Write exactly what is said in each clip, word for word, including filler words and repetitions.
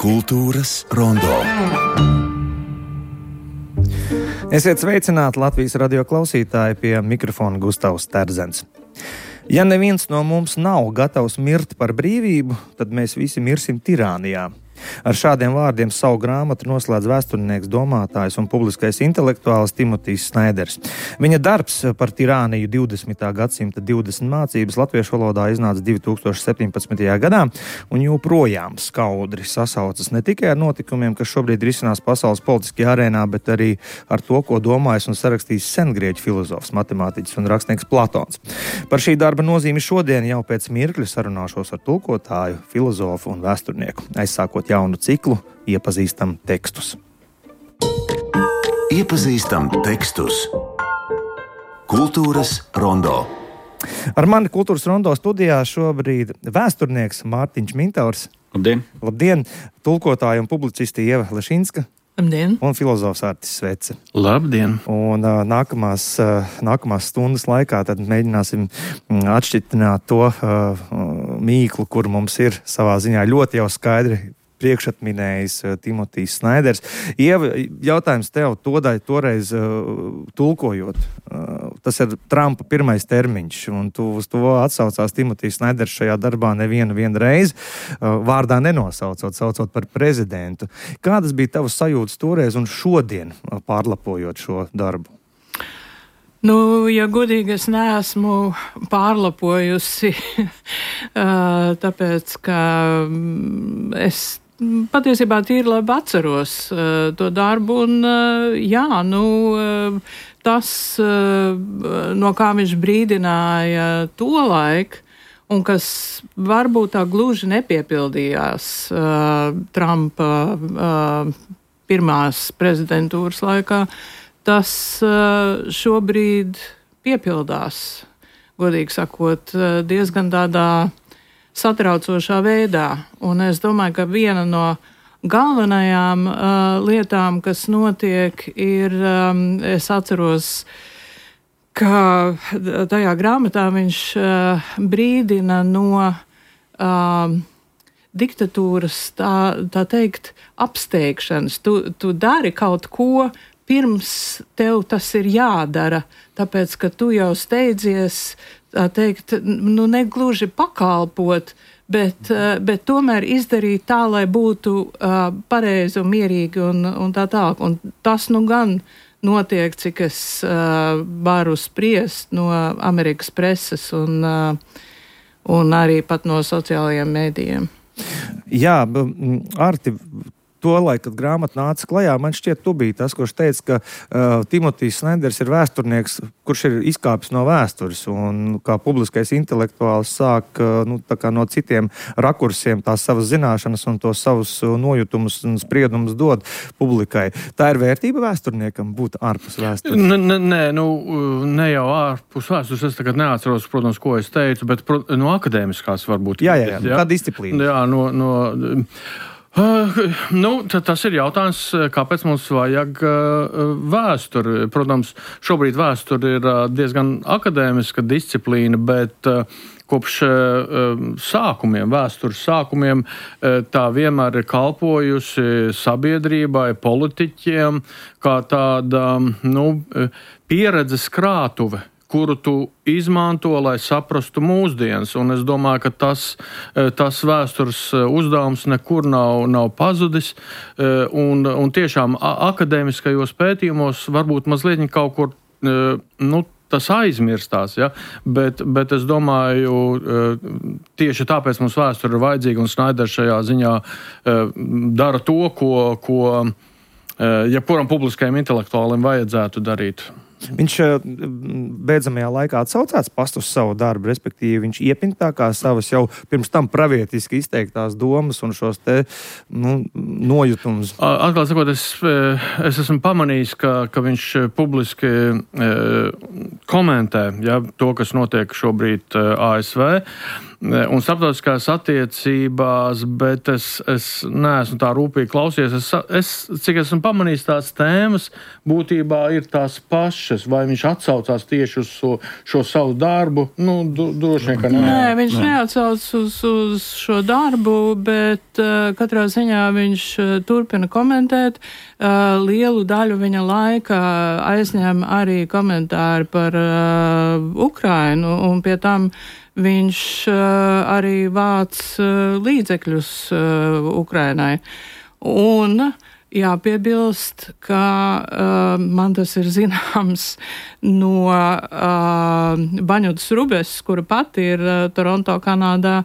Kultūras rondo. Esiet sveicināti Latvijas radio klausītāji, pie mikrofona Gustavs Terzens. Ja neviens no mums nav gatavs mirt par brīvību, tad mēs visi mirsim tirānijā. Ar šādiem vārdiem savu grāmatu noslēdz vēsturnieks, domātājs un publiskais intelektuālis Timotijs Snaiders. Viņa darbs par tirāniju divdesmitā gadsimta divdesmit mācības latviešu valodā iznāca divi tūkstoši septiņpadsmitajā gadā un joprojām skaudri sasaucas ne tikai ar notikumiem, kas šobrīd risinās pasaules politiskajā arēnā, bet arī ar to, ko domājis un sarakstījis sengrieķu filozofs, matemātiķis un rakstnieks Platons. Par šī darba nozīmi šodien jau pēc mirkļa sarunāšos ar tulkotāju, filozofu un vēsturnieku. Aizsākot jaunu ciklu, iepazīstam tekstus. Iepazīstam tekstus. Kultūras rondo. Ar mani kultūras rondo studijā šobrīd vēsturnieks Mārtiņš Mintaurs. Labdien! Labdien! Tulkotāja un publicisti Ieva Lešinska. Labdien! Un filozofs Artis Svece. Labdien! Un uh, nākamās, uh, nākamās stundas laikā tad mēģināsim atšķitināt to uh, mīklu, kur mums ir savā ziņā ļoti jau skaidri priekšatminējis uh, Timotijs Snaiders. Ieva, jautājums tev todai, toreiz uh, tulkojot. Uh, tas ir Trumpa pirmais termiņš, un tu uz to atsaucās Timotijs Snaiders šajā darbā nevienu vienu reizi, uh, vārdā nenosaucot, saucot par prezidentu. Kādas bija tavas sajūtas toreiz un šodien, uh, pārlapojot šo darbu? Nu, ja godīgi, es neesmu pārlapojusi, tāpēc, ka es patiesībā tīri labi atceros uh, to darbu, un uh, jā, nu, uh, tas, uh, no kā viņš brīdināja tolaik, un kas varbūt tā gluži nepiepildījās uh, Trumpa uh, pirmās prezidentūras laikā, tas uh, šobrīd piepildās, godīgi sakot, uh, diezgan tādā satraucošā veidā. Un es domāju, ka viena no galvenajām uh, lietām, kas notiek, ir, um, es atceros, ka tajā grāmatā viņš uh, brīdina no uh, diktatūras, tā, tā teikt, apsteigšanas. Tu, tu dari kaut ko, pirms tev tas ir jādara, tāpēc, ka tu jau steidzies, tā teikt, nu negluži pakalpot, bet, bet tomēr izdarīt tā, lai būtu uh, pareizi un mierīgi un, un tā tālāk. Un tas nu gan notiek, cik es uh, varu spriest no Amerikas preses un, uh, un arī pat no sociālajiem mēdījiem. Jā, Arti, tolaik, kad grāmata nāca klajā, man šķiet, tu biji tas, kurš teica, ka uh, Timotijs Snaiders ir vēsturnieks, kurš ir izkāpis no vēstures un kā publiskais intelektuāls sāk uh, nu, tā kā no citiem rakursiem tās savas zināšanas un tos savus uh, nojutumus un spriedumus dod publikai. Tā ir vērtība vēsturniekam būt ārpus vēstures? Nē, nē, nu, ne jau ārpus vēstures, es tagad neatceros, protams, ko es teicu, bet no akadēmiskās varbūt. Jā, jā, jā. Jā? Kā disciplīna? Jā, no... no Uh, nu, tas ir jautājums, kāpēc mums vajag uh, vēsturi. Protams, šobrīd vēsture ir uh, diezgan akadēmiska disciplīna, bet uh, kopš uh, sākumiem, vēstures sākumiem, uh, tā vienmēr ir kalpojusi sabiedrībai, politiķiem, kā tāda nu, pieredzes krātuve, kuru tu izmanto, lai saprastu mūsdienas. Un es domāju, ka tas, tas vēstures uzdevums nekur nav, nav pazudis. Un, un tiešām akadēmiskajos pētījumos varbūt mazliet kaut kur, nu, tas aizmirstās, ja? bet, bet es domāju, tieši tāpēc mums vēsture ir vajadzīga, un Snaiders šajā ziņā dara to, ko, ko jebkuram publiskajam intelektuālim vajadzētu darīt. Viņš beidzamajā laikā atsaucās past uz savu darbu, respektīvi viņš iepintākā savas jau pirms tam pravietiski izteiktās domas un šos te nu, nojutumus. Atklāt sakot, es, es esmu pamanījis, ka, ka viņš publiski e, komentē ja, to, kas notiek šobrīd A S V. un starptautiskās attiecībās, bet es, es neesmu tā rūpīgi klausies. Es, es, cik esmu pamanījis, tās tēmas būtībā ir tās pašas, vai viņš atsaucās tieši uz šo, šo savu darbu. Nu, du, droši vien, ka nē. Nē, viņš nē. neatsauc uz, uz šo darbu, bet uh, katrā ziņā viņš uh, turpina komentēt. Uh, lielu daļu viņa laika aizņem arī komentāri par uh, Ukrainu, un pie tam viņš uh, arī vāc uh, līdzekļus uh, Ukrainai. Un jāpiebilst, ka uh, man tas ir zināms no uh, Baņutas Rubes, kura pati ir uh, Toronto, Kanādā,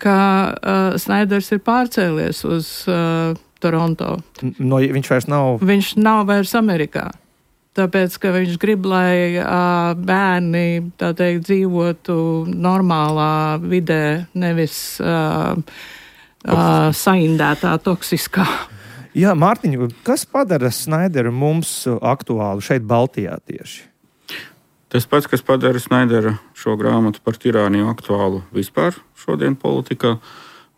ka uh, Snaiders ir pārcēlies uz uh, Toronto. No, viņš vairs nav... Viņš nav vairs Amerikā. Tāpēc, ka viņš grib, lai uh, bērni, tā teikt, dzīvotu normālā vidē, nevis uh, uh, saindētā, toksiskā. Jā, Mārtiņ, kas padara Snaideru mums aktuālu šeit Baltijā tieši? Tas pats, kas padara Snaideru šo grāmatu par tirāniju aktuālu vispār šodien politikā.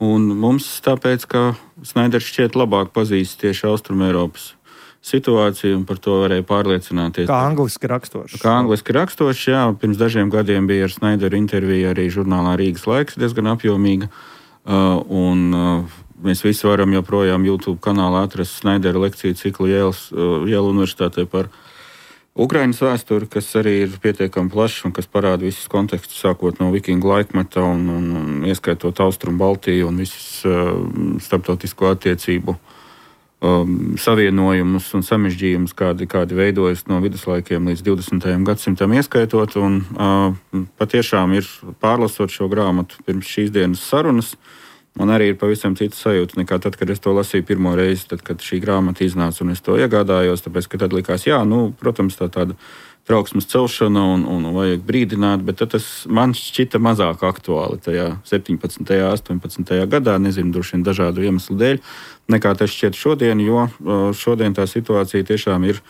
Un mums tāpēc, ka Snaiders šķiet labāk pazīst tieši Austrumēropas situāciju, un par to varēja pārliecināties. Kā angliski rakstošs. Kā angliski rakstošs, jā. Pirms dažiem gadiem bija ar Snaideru intervija arī žurnālā Rīgas laiks, diezgan apjomīga. Uh, un uh, mēs visi varam joprojām YouTube kanālā atrast Snaidera lekciju ciklu Jēlas, uh, Jēlu universitātē par Ukrainas vēsturi, kas arī ir pietiekami plašs un kas parāda visus kontekstus, sākot no vikingu laikmeta un, un, un ieskaitot Austrumu Baltiju un visus uh, starptautisko attiecību Um, savienojumus un samežģījumus, kādi, kādi veidojas no viduslaikiem līdz divdesmitajam gadsimtam ieskaitot. Un, uh, patiešām ir pārlasot šo grāmatu pirms šīs dienas sarunas, man arī ir pavisam cita sajūta nekā tad, kad es to lasīju pirmo reizi, tad, kad šī grāmata iznāca un es to iegādājos, tāpēc, ka tad likās, jā, nu, protams, tā tāda trauksmes celšana un, un vajag brīdināt, bet tas man šķita mazāk aktuāli tajā septiņpadsmitajā, astoņpadsmitajā gadā, nezinu, droši vien dažādu iemeslu dēļ, nekā tas šķiet šodien, jo šodien tā situācija tiešām ir,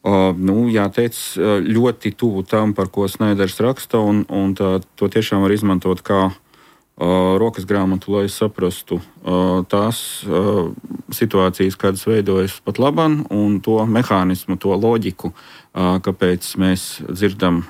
nu, jāteic, ļoti tuvu tam, par ko Snaiders raksta, un, un tā, to tiešām var izmantot kā rokas grāmatu, lai saprastu tās situācijas, kādas veidojas pat labam, un to mehānismu, to loģiku, kāpēc mēs dzirdam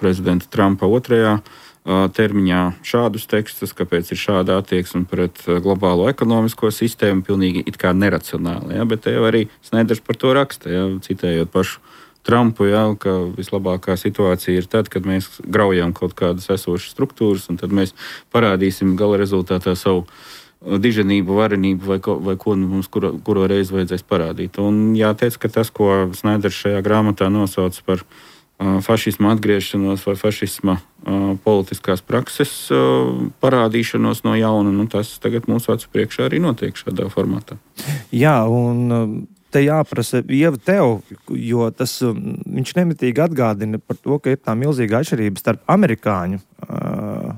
prezidenta Trumpa otrajā termiņā šādus tekstus, kāpēc ir šāda attieksme pret globālo ekonomisko sistēmu, pilnīgi it kā neracionāli. Ja? Bet te jau arī Snaiders par to raksta, ja? Citējot pašu Trumpu, ja? Ka vislabākā situācija ir tad, kad mēs graujam kaut kādas esošas struktūras, un tad mēs parādīsim gala rezultātā savu diženību, varenību vai ko, vai ko mums kuro, kuro reizi vajadzēs parādīt. Un jāteic, ka tas, ko Snaiders šajā grāmatā nosauc par uh, fašisma atgriešanos vai fašisma uh, politiskās prakses uh, parādīšanos no jauna, nu, tas tagad mūsu acu priekšā arī notiek šādā formātā. Jā, un te jāprasa Ieva tev, jo tas, viņš nemitīgi atgādina par to, ka ir tā milzīga atšķirība starp amerikāņu uh,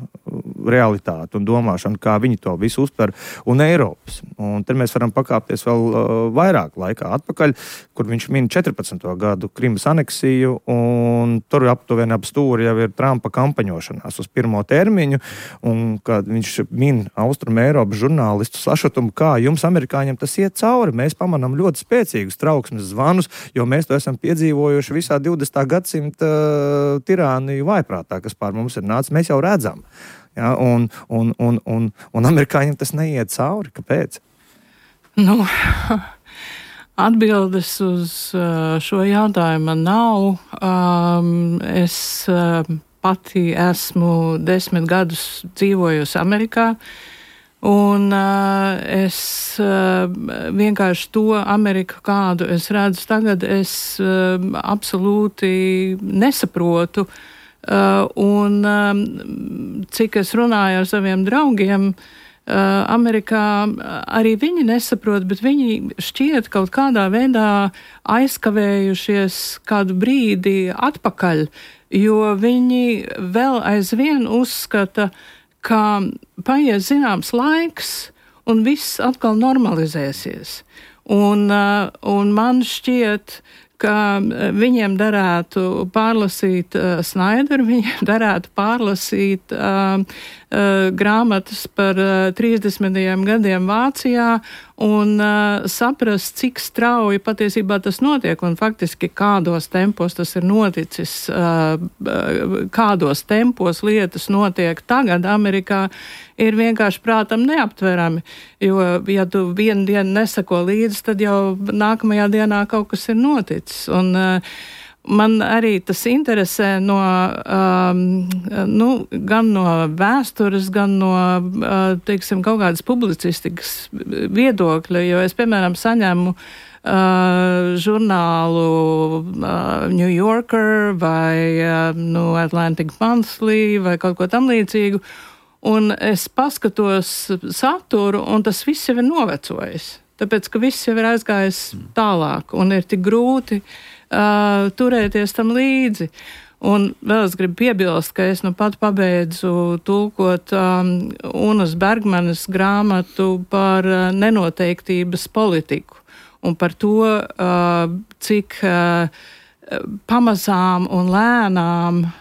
realitāti un domāšanu, kā viņi to visu uztver, un Eiropas. Un te mēs varam pakāpties vēl uh, vairāk laikā atpakaļ, kur viņš min četrpadsmito gadu Krimas aneksiju, un tur aptuveni ap stūri jau ir Trumpa kampaņošanās uz pirmo termiņu, un kad viņš min Austrum Eiropas žurnālistu sašutumu, kā jums, amerikāņiem, tas iet cauri. Mēs pamanām ļoti spēcīgus trauksmes zvanus, jo mēs to esam piedzīvojuši visā divdesmitā gadsimta uh, tirāniju vaiprātā, kas pār mums ir nācis. Mēs jau redzam. Ja, un, un, un, un, un amerikāņiem tas neiet cauri. Kāpēc? Nu, atbildes uz šo jautājumu nav. Um, es pati esmu desmit gadus dzīvojusi Amerikā, un uh, es uh, vienkārši to Ameriku, kādu es redzu tagad, es uh, absolūti nesaprotu. Uh, un um, cik es runāju ar saviem draugiem, uh, Amerikā arī viņi nesaprot, bet viņi šķiet kaut kādā veidā aizkavējušies kādu brīdi atpakaļ, jo viņi vēl aizvien uzskata, ka paies zināms laiks un viss atkal normalizēsies. Un, uh, un man šķiet, ka viņiem derētu pārlasīt uh, Snaideru, viņiem derētu pārlasīt uh, uh, grāmatas par uh, trīsdesmitajiem gadiem Vācijā un uh, saprast, cik strauji patiesībā tas notiek un faktiski kādos tempos tas ir noticis, uh, kādos tempos lietas notiek tagad Amerikā, ir vienkārši prātam neaptverami, jo, ja tu vienu dienu nesako līdzi, tad jau nākamajā dienā kaut kas ir noticis. Un uh, man arī tas interesē no, um, nu, gan no vēstures, gan no, uh, teiksim, kaut kādas publicistikas viedokļa, jo es, piemēram, saņemu uh, žurnālu uh, New Yorker vai uh, nu, Atlantic Monthly vai kaut ko tam līdzīgu, un es paskatos saturu, un tas viss jau ir novecojis. Tāpēc, ka viss jau ir aizgājis tālāk, un ir tik grūti uh, turēties tam līdzi. Un vēl es gribu piebilst, ka es nu pat pabeidzu tulkot um, Unas Bergmanas grāmatu par uh, nenoteiktības politiku, un par to, uh, cik uh, pamazām un lēnām uh,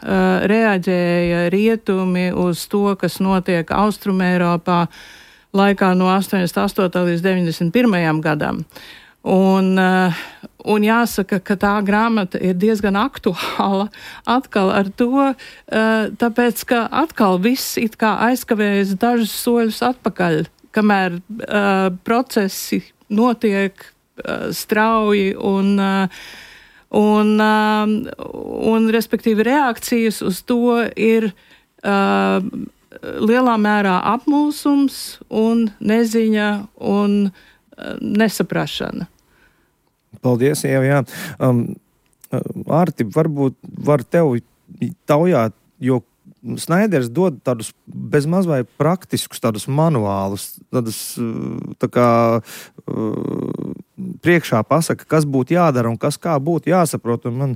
reaģēja rietumi uz to, kas notiek Austrumēropā laikā no astoņdesmit astotā līdz deviņdesmit pirmajam gadam. Un, uh, un jāsaka, ka tā grāmata ir diezgan aktuāla atkal ar to, uh, tāpēc, ka atkal viss it kā aizkavējas dažus soļus atpakaļ, kamēr uh, procesi notiek uh, strauji un uh, Un, um, un, respektīvi, reakcijas uz to ir uh, lielā mērā apmulsums un neziņa un uh, nesaprašana. Paldies, Ieva, jā. Um, Ārti, varbūt var tev taujāt, jo Snaiders dod tādus bezmaz vai praktiskus tādus manuālus, tādus tā kā priekšā pasaka, kas būtu jādara un kas kā būtu jāsaprot. Un man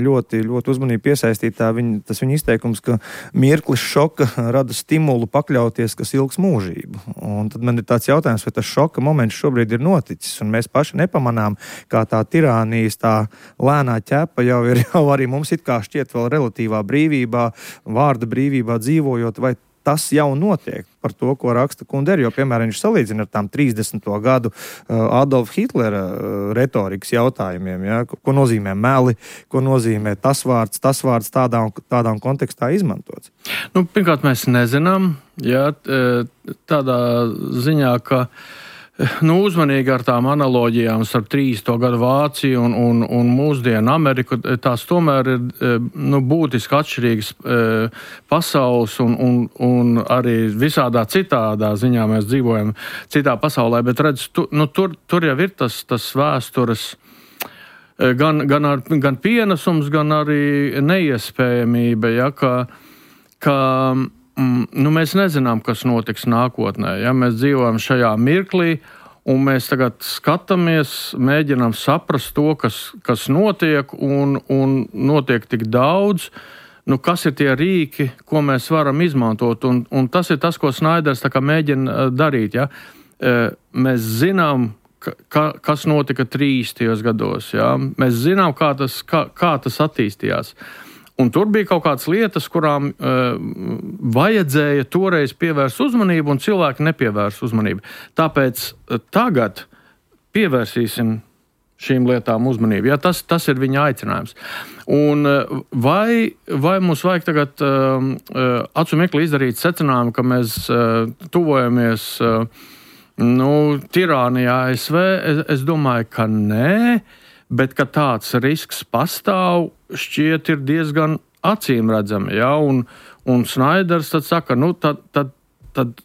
ļoti, ļoti uzmanīgi piesaistītā viņa, tas viņa izteikums, ka mirklis šoka rada stimulu pakļauties, kas ilgs mūžību. Un tad man ir tāds jautājums, vai tas šoka moments šobrīd ir noticis, un mēs paši nepamanām, kā tā tirānijas, tā lēnā ķepa jau ir jau arī mums it kā šķiet vēl relatīvā brīvībā, vārda brīvībā dzīvojot, vai tas jau notiek par to, ko raksta Kundera, jo, piemēram, viņš salīdzina ar tām trīsdesmito gadu Adolfa Hitlera retorikas jautājumiem, ja? Ko nozīmē meli, ko nozīmē tas vārds, tas vārds tādā un tādā kontekstā izmantots. Nu, pirmkārt, mēs nezinām, ja, tādā ziņā, ka nu, uzmanīgi ar tām analoģijām starp trīsdesmito gadu Vāciju un, un, un mūsdienu Ameriku, tās tomēr ir nu, būtiski atšķirīgas pasaules un, un, un arī visādā citādā ziņā mēs dzīvojam citā pasaulē, bet redz, tu, nu, tur, tur jau ir tas, tas vēstures gan, gan, ar, gan pienesums, gan arī neiespējamība, ja, ka, ka nu, mēs nezinām, kas notiks nākotnē. Ja? Mēs dzīvojam šajā mirklī, un mēs tagad skatāmies, mēģinām saprast to, kas, kas notiek, un, un notiek tik daudz. Nu, kas ir tie rīki, ko mēs varam izmantot? Un, un tas ir tas, ko Snaiders tā kā mēģina darīt. Ja? Mēs zinām, ka, kas notika trīsdesmitajos gados. Ja? Mēs zinām, kā tas, kā, kā tas attīstījās. Un tur bija kaut kādas lietas, kurām uh, vajadzēja toreiz pievērst uzmanību, un cilvēki nepievērst uzmanību. Tāpēc uh, tagad pievērsīsim šīm lietām uzmanību. Ja, tas, tas ir viņa aicinājums. Un uh, vai, vai mums vajag tagad uh, uh, acu mirkli izdarīt secinājumu, ka mēs uh, tuvojamies uh, nu, tirānijā A S V? Es, es domāju, ka nē. Bet, ka tāds risks pastāv, šķiet ir diezgan acīm redzami. Ja? Un, un Snaiders tad saka, nu, tad, tad, tad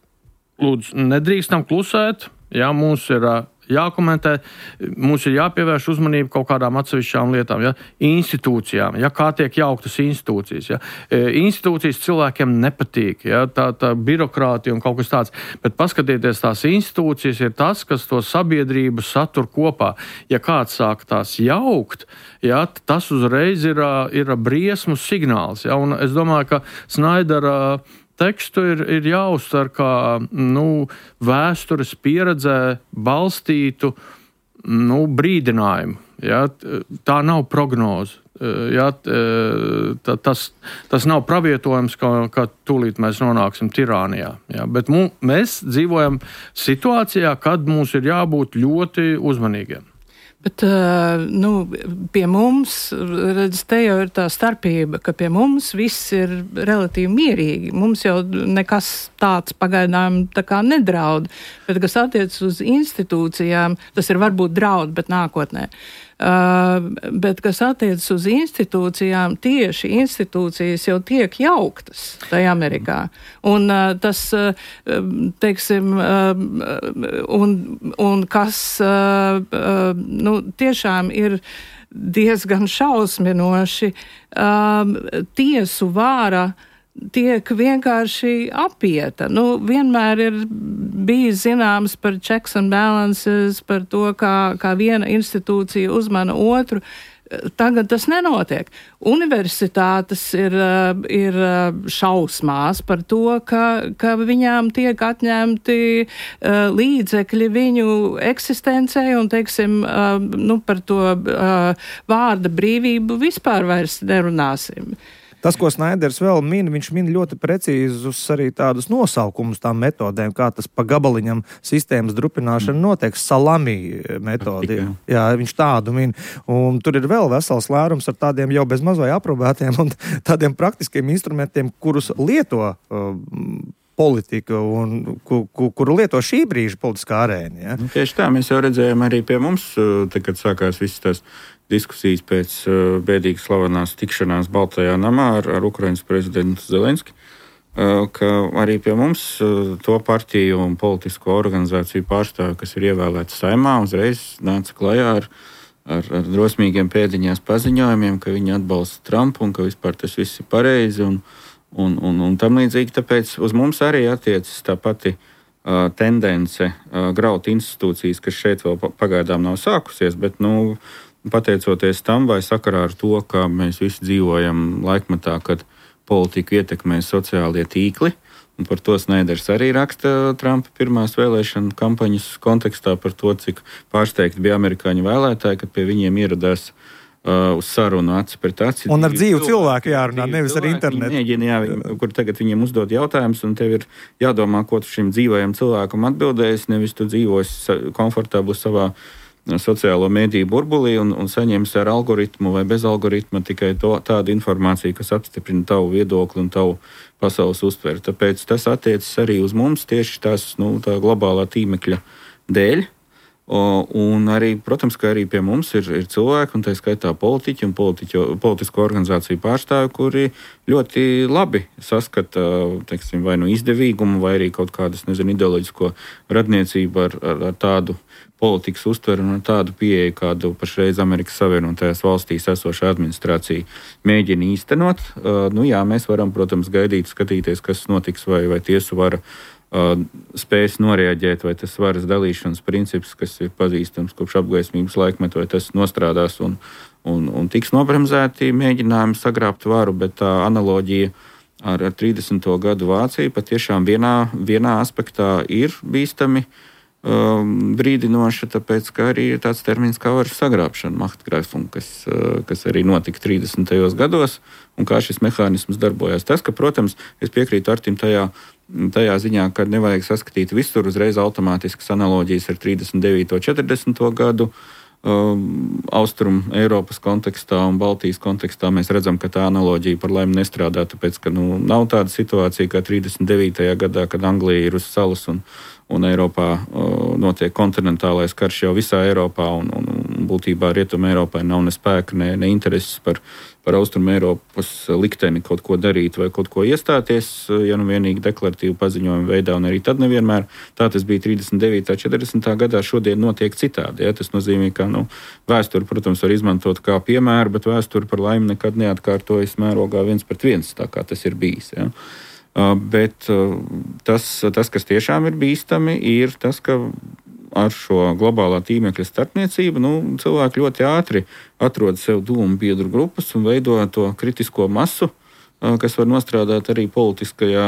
lūdzu, nedrīkstam klusēt, ja? Mums ir jākomentē, mums ir jāpievērš uzmanība kaut kādām atsevišķām lietām, ja? Institūcijām, ja? Kā tiek jauktas institūcijas. Ja? Institūcijas cilvēkiem nepatīk, ja? tā, tā birokrātija un kaut kas tāds, bet paskatieties, tās institūcijas ir tas, kas to sabiedrību satur kopā. Ja kāds sāk tās jaukt, ja? Tas uzreiz ir, ir briesmu signāls. Ja? Un es domāju, ka Snaidera tekstu ir, ir jāuztver kā nu, vēstures pieredzē balstītu nu, brīdinājumu. Ja, tā nav prognoze. Ja, tas, tas nav pravietojums, ka, ka tūlīt mēs nonāksim tirānijā. Ja, bet mū, mēs dzīvojam situācijā, kad mums ir jābūt ļoti uzmanīgiem. Bet nu, pie mums, redz, te jau ir tā starpība, ka pie mums viss ir relatīvi mierīgi. Mums jau nekas tāds pagaidām tā kā nedraud. Bet, kas attiec uz institūcijām, tas ir varbūt draud, bet nākotnē. Uh, bet, kas attiecas uz institūcijām, tieši institūcijas jau tiek jauktas tajā Amerikā. Un uh, tas, uh, teiksim, uh, un, un kas uh, uh, nu, tiešām ir diezgan šausminoši, uh, tiesu vāra tiek vienkārši apieta. Nu, vienmēr ir bijis zināms par checks and balances, par to, kā, kā viena institūcija uzmana otru. Tagad tas nenotiek. Universitātes ir, ir šausmās par to, ka, ka viņām tiek atņemti uh, līdzekļi viņu eksistencei un, teiksim, uh, nu, par to uh, vārda brīvību vispār vairs nerunāsim. Tas, ko Snaiders vēl min, viņš min ļoti precīzus arī tādus nosaukumus tām metodēm, kā tas pa gabaliņam sistēmas drupināšana notiek, salami metodi. Jā, viņš tādu min. Un tur ir vēl vesels lērums ar tādiem jau bez mazai aprobētiem un tādiem praktiskiem instrumentiem, kurus lieto uh, politika un ku, ku, kuru lieto šī brīža politiskā arēna. Ja? Tieši tā, mēs jau redzējām arī pie mums, te, kad sākās visas tās diskusijas pēc uh, bēdīgas slavenās tikšanās Baltajā namā ar, ar Ukrainas prezidentu Zelenski, uh, ka arī pie mums uh, to partiju un politisko organizāciju pārstāvi, kas ir ievēlēti Saeimā, uzreiz nāca klajā ar, ar, ar drosmīgiem pēdiņās paziņojumiem, ka viņi atbalsta Trumpu un ka vispār tas viss ir pareizi un, un, un, un tam līdzīgi. Tāpēc uz mums arī attiecas tā pati uh, tendence uh, graut institūcijas, kas šeit vēl pagaidām nav sākusies, bet, nu, pateicoties tam vai sakarā ar to, ka mēs visi dzīvojam laikmetā, kad politiku ietekmē sociālie tīkli, un par to Snaiders arī raksta Trumpa pirmās vēlēšana kampaņas kontekstā par to, cik pārsteigti bija amerikāņu vēlētāji, kad pie viņiem ieradās uh, uz sarunu aci pret aci. Un ar dzīvu cilvēku jārunā, nevis ar internetu. Mēģina, jā, viņi, kur tagad viņiem uzdod jautājumus, un tev ir jādomā, ko tu šim dzīvajam cilvēkam atbildēs, nevis tu dzīvosi komfortabli savā sociālo mediju burbulī un, un saņemsi ar algoritmu vai bez algoritma tikai to, tādu informāciju, kas apstiprina tavu viedokli un tavu pasaules uztveri. Tāpēc tas attiecas arī uz mums tieši tās, nu, tā globālā tīmekļa dēļ. O, un arī, protams, ka arī pie mums ir, ir cilvēki, un tā skaitā politiķi un politiķo, politisko organizāciju pārstāvi, kuri ļoti labi saskata, teiksim, vai nu izdevīgumu, vai arī kaut kādas, nezinu, ideoloģisko radniecību ar, ar, ar tādu politikas uztveru un tādu pieeju, kādu pašreiz Amerikas Savienotajās valstīs esošā administrācija mēģina īstenot. Uh, nu jā, mēs varam, protams, gaidīt, skatīties, kas notiks, vai, vai tiesu vara uh, spēs noreaģēt, vai tas varas dalīšanas princips, kas ir pazīstams kopš apgaismības laikmeta, vai tas nostrādās un, un, un tiks nobremzēti mēģinājumi sagrābt varu, bet tā analoģija ar, ar trīsdesmito gadu Vāciju patiešām vienā, vienā aspektā ir bīstami Um, brīdinoša, tāpēc, ka arī ir tāds termins kā varas sagrābšana, Machtgreifung, kas, uh, kas arī notika trīsdesmitajos gados, un kā šis mehānisms darbojās. Tas, ka, protams, es piekrītu Artim tajā, tajā ziņā, ka nevajag saskatīt visur uzreiz automātiskas analoģijas ar trīsdesmit devīto četrdesmito gadu, um, Austrum Eiropas kontekstā un Baltijas kontekstā mēs redzam, ka tā analoģija par laimi nestrādā, tāpēc, ka nu, nav tāda situācija kā trīsdesmit devītajā gadā, kad Anglija ir uz salas un un Eiropā uh, notiek kontinentālais karš jau visā Eiropā, un, un, un būtībā Rietuma Eiropai nav ne spēka, ne, ne intereses par, par Austrum Eiropas likteni kaut ko darīt vai kaut ko iestāties, ja nu vienīgi deklaratīvu paziņojumu veidā, un arī tad nevienmēr. Tā tas bija trīsdesmit devītā četrdesmitā gadā, šodien notiek citādi. Ja? Tas nozīmē, ka nu, vēsturi, protams, var izmantot kā piemēru, bet vēsturi par laimi nekad neatkārtojas mērogā viens pret viens, tā kā tas ir bijis. Ja? Uh, bet uh, tas, tas, kas tiešām ir bīstami, ir tas, ka ar šo globālā tīmekļa starpniecību nu, cilvēki ļoti ātri atrod sev dūmu biedru grupas un veido to kritisko masu, kas var nostrādāt arī politiskajā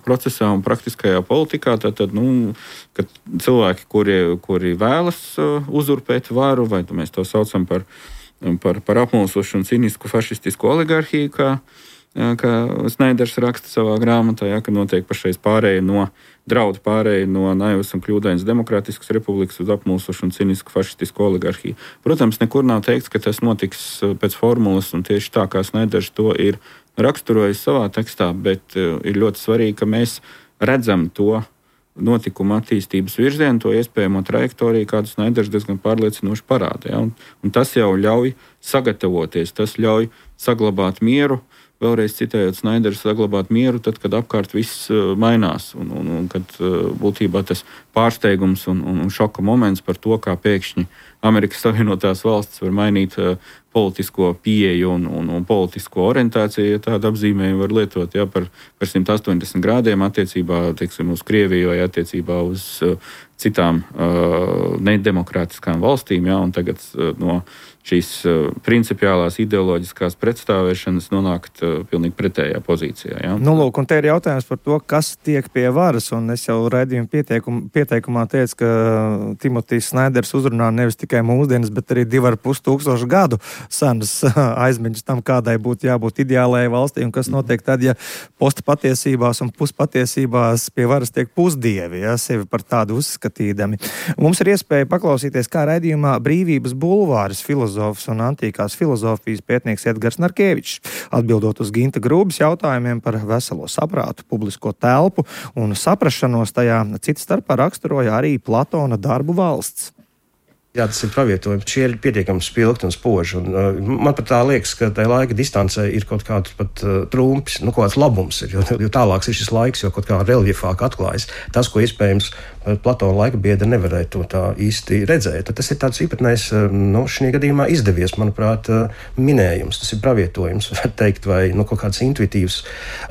procesā un praktiskajā politikā. Tātad, nu, kad cilvēki, kuri, kuri vēlas uzurpēt varu, vai mēs to saucam par, par, par apmulsošu un cinisku fašistisku oligarhiju, kā, kā Snaiders raksta savā grāmatā, ja, ka notiek pašreiz pārēja no draudu pārēja no naivas un kļūdainas demokrātiskas republikas uz apmulsošu un cinisku fašistisku oligarhiju. Protams, nekur nav teikts, ka tas notiks pēc formulas, un tieši tā, kā Snaiders to ir raksturojis savā tekstā, bet ir ļoti svarīgi, ka mēs redzam to notikumu attīstības virzienu, to iespējamo trajektoriju, kādu Snaiders diezgan pārliecinoši parāda. Ja? Un, un tas jau ļauj sagatavoties, tas ļauj saglabāt mieru, vēlreiz citējot Snaideru, saglabāt mieru, tad, kad apkārt viss mainās, un, un, un kad būtībā tas pārsteigums un, un, un šoka moments par to, kā pēkšņi Amerikas Savienotās valstis var mainīt politisko pieeju un, un, un politisko orientāciju, ja tādu apzīmējumu var lietot, ja, par, par simt astoņdesmit grādiem attiecībā, teiksim, uz Krieviju vai attiecībā uz uh, citām uh, nedemokrātiskām valstīm, ja, un tagad uh, no šīs uh, principiālās ideoloģiskās pretstāvēšanas nonākt uh, pilnīgi pretējā pozīcijā. Ja. Nu, lūk, un te ir jautājums par to, kas tiek pie varas, un es jau raidījuma pieteikumu, pieteikumā teicu, ka Timotijs Snaiders uzrunā nevis tikai mūsdienas, bet arī divi ar pus tūkstošu gadu senas aizmiņas tam, kādai būtu jābūt ideālajai valstī, un kas notiek tad, ja postpatiesībās un puspatiesībās pie varas tiek pusdievi, ja, sevi par tādu uzskatīdami. Mums ir iespēja paklausīties, kā raidījumā Brīvības bulvāris filozofs un antīkās filozofijas pētnieks Edgars Narkevičs, atbildot uz Ginta Grūbas jautājumiem par veselo saprātu, publisko telpu un saprašanos tajā, cits starpā raksturoja arī Platona darbu Valsts. Jā, tas ir pravietojums. Šie ir pietiekami spilgti un spoži. Un, uh, man pat tā liekas, ka tajā laika distancē ir kaut kāds pat uh, trumpis, nu, kaut kāds labums ir, jo, jo tālāks ir šis laiks, jo kaut kā reljefāk atklājas tas, ko iespējams Platona laika biedri nevarēja to tā īsti redzēt. Tad tas ir tāds īpatnējs, uh, nu, šī gadījumā izdevies, manuprāt, uh, minējums. Tas ir pravietojums, var teikt, vai nu, kaut kāds intuitīvs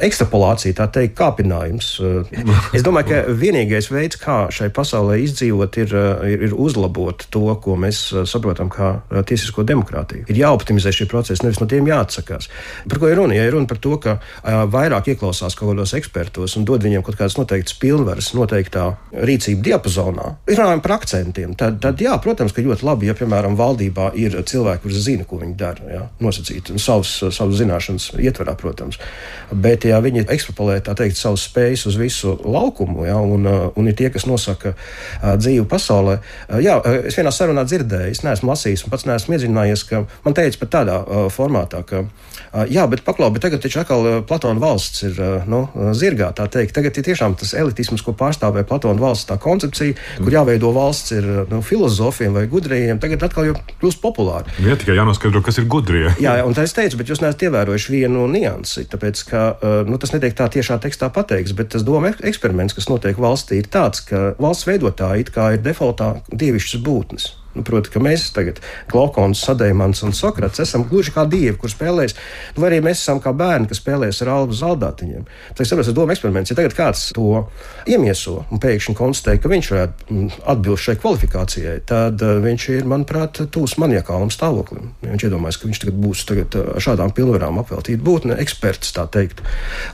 ekstrapolācija, tā teikt, kāpinājums. Uh, es domāju, ka vienīgais veids, kā šai pasaulē izdzīvot, ir, uh, ir, ir uzlabot to, ko mēs saprotam kā tiesisko demokrātiju. Ir jāoptimizē šie procesi, nevis no tiem jāatsakās. Par ko ir runa? Ja ir runa par to, ka uh, vairāk ieklausās kaut kādos ekspertos un dod viņiem kaut kādas noteiktas pilnvaras noteiktā rīcība diapazonā, ir runājumi par akcentiem. Tad, tad jā, protams, ka ļoti labi, ja, piemēram, valdībā ir cilvēki, kurš zina, ko viņi dara, ja, nosacīt savus, savus zināšanas ietverā, protams. Bet, ja viņi ekstrapolē, tā teikt, savus spējas uz visu laukumu, ja, un, un ir tie, kas nosaka uh, dzīvi pasaulē, uh, jā, es vienā sarunā dzirdēju, es neesmu lasījis un pats neesmu iedzinājies, ka man teica pat tādā uh, formātā, ka uh, jā, bet paklau, bet tagad taču atkal uh, Platona valsts ir uh, nu, zirgā, tā teikt. Tagad ir tiešām tas elitisms, ko pārstāvē Platona valsts tā koncepcija, mm. kur jāveido valsts ir nu, filozofiem vai gudrījiem, tagad atkal jau kļūst populāri. Jā, tikai jānoskaidro, kas ir gudrie. Jā, un tā es teicu, bet jūs neesat ievērojuši vienu niansi, tāpēc, ka, uh, nu, tas netiek tā tiešā tekstā pateikts, bet tas doma eksperiments, kas notiek valstī, ir tāds, ka valsts veidotāji it kā ir defaultā dievišķas būtnes. Nu, proti, ka mēs tagad, Glaukons, Sadejmans un Sokrats, esam gluži kā dievi, kur spēlēs, nu, vai arī mēs esam kā bērni, kas spēlēs ar albu zaldātiņiem. Tā ir sapratu, doma eksperiments. Ja tagad kāds to iemieso un pēkšņi konstatē, ka viņš varētu atbilst šai kvalifikācijai, tad uh, viņš ir, manuprāt, tūs maniakālam stāvoklim. Ja viņš iedomājas, ka viņš tagad būs tagad ar šādām pilnvarām apveltīt būtne, eksperts, tā teikt,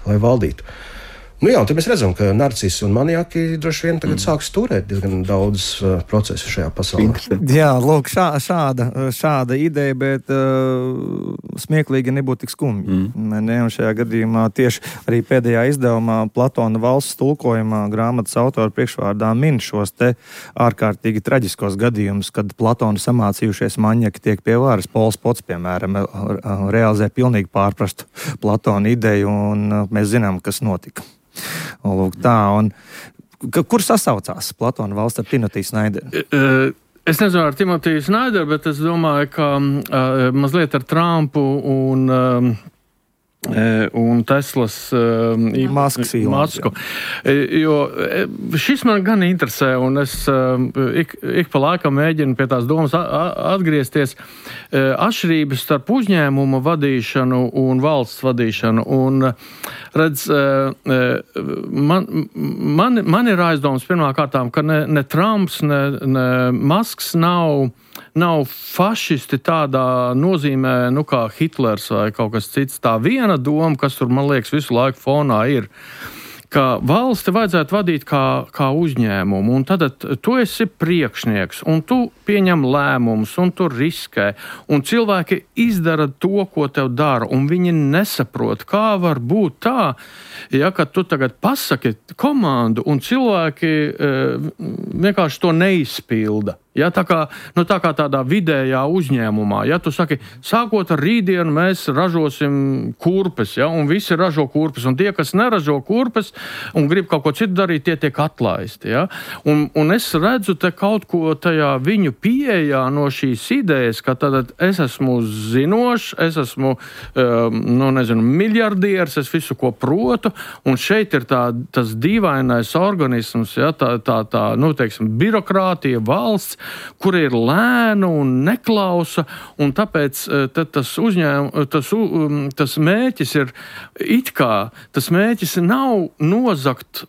lai valdītu. Nu jā, un tad mēs redzam, ka narcisi un maniaki droši vien tagad mm. sāks turēt diezgan daudz uh, procesu šajā pasaulē. Jā, lūk, šā, šāda, šāda ideja, bet uh, smieklīgi nebūtu tik skumji. Mm. Ne, un šajā gadījumā tieši arī pēdējā izdevumā Platona valsts tulkojumā grāmatas autora priekšvārdā min šos te ārkārtīgi traģiskos gadījumus, kad Platona samācījušies maņaki tiek pie varas. Pols Pots, piemēram, realizē pilnīgi pārprastu Platona ideju, un mēs zinām, kas notika. Un, lūk, tā, un, kur sasaucās Platona valsts ar Timotiju Snaideru? Es nezinu ar Timotiju Snaideru, bet es domāju, ka uh, mazliet ar Trumpu un, uh, un Teslas uh, Maskas Masku. Jo šis man gan interesē, un es uh, ik, ik pa laikam mēģinu pie tās domas atgriezties. Uh, atšķirības starp uzņēmuma vadīšanu un valsts vadīšanu. Un, redz, man, man, man ir aizdoms pirmā kārtām, ka ne, ne Trumps, ne, ne Masks nav nav fašisti tādā nozīmē, nu kā Hitlers vai kaut kas cits. Tā viena doma, kas tur, man liekas, visu laiku fonā ir, ka valsti vajadzētu vadīt kā, kā uzņēmumu, un tad tu esi priekšnieks, un tu pieņem lēmumus, un tu riskē, un cilvēki izdara to, ko tev dara, un viņi nesaprot, kā var būt tā, ja, ka tu tagad pasaki komandu, un cilvēki e, vienkārši to neizpilda. Ja, tā, kā, nu, tā kā tādā vidējā uzņēmumā, ja tu saki, sākot ar rītdienu mēs ražosim kurpes, ja, un visi ražo kurpes, un tie, kas neražo kurpes un grib kaut ko citu darīt, tie tiek atlaisti. Ja. Un, un es redzu te kaut ko tajā viņu pieejā no šīs idejas, ka tad es esmu zinošs, es esmu, um, nu, nezinu, miljardieris, es visu ko protu, un šeit ir tā, tas dīvainais organisms, ja, tā, tā, tā, nu, teiksim, birokrātija, valsts, kur ir lēna un neklausa, un tāpēc tas uzņēmums, tas, tas mēķis ir it kā, tas mēķis nav nozagt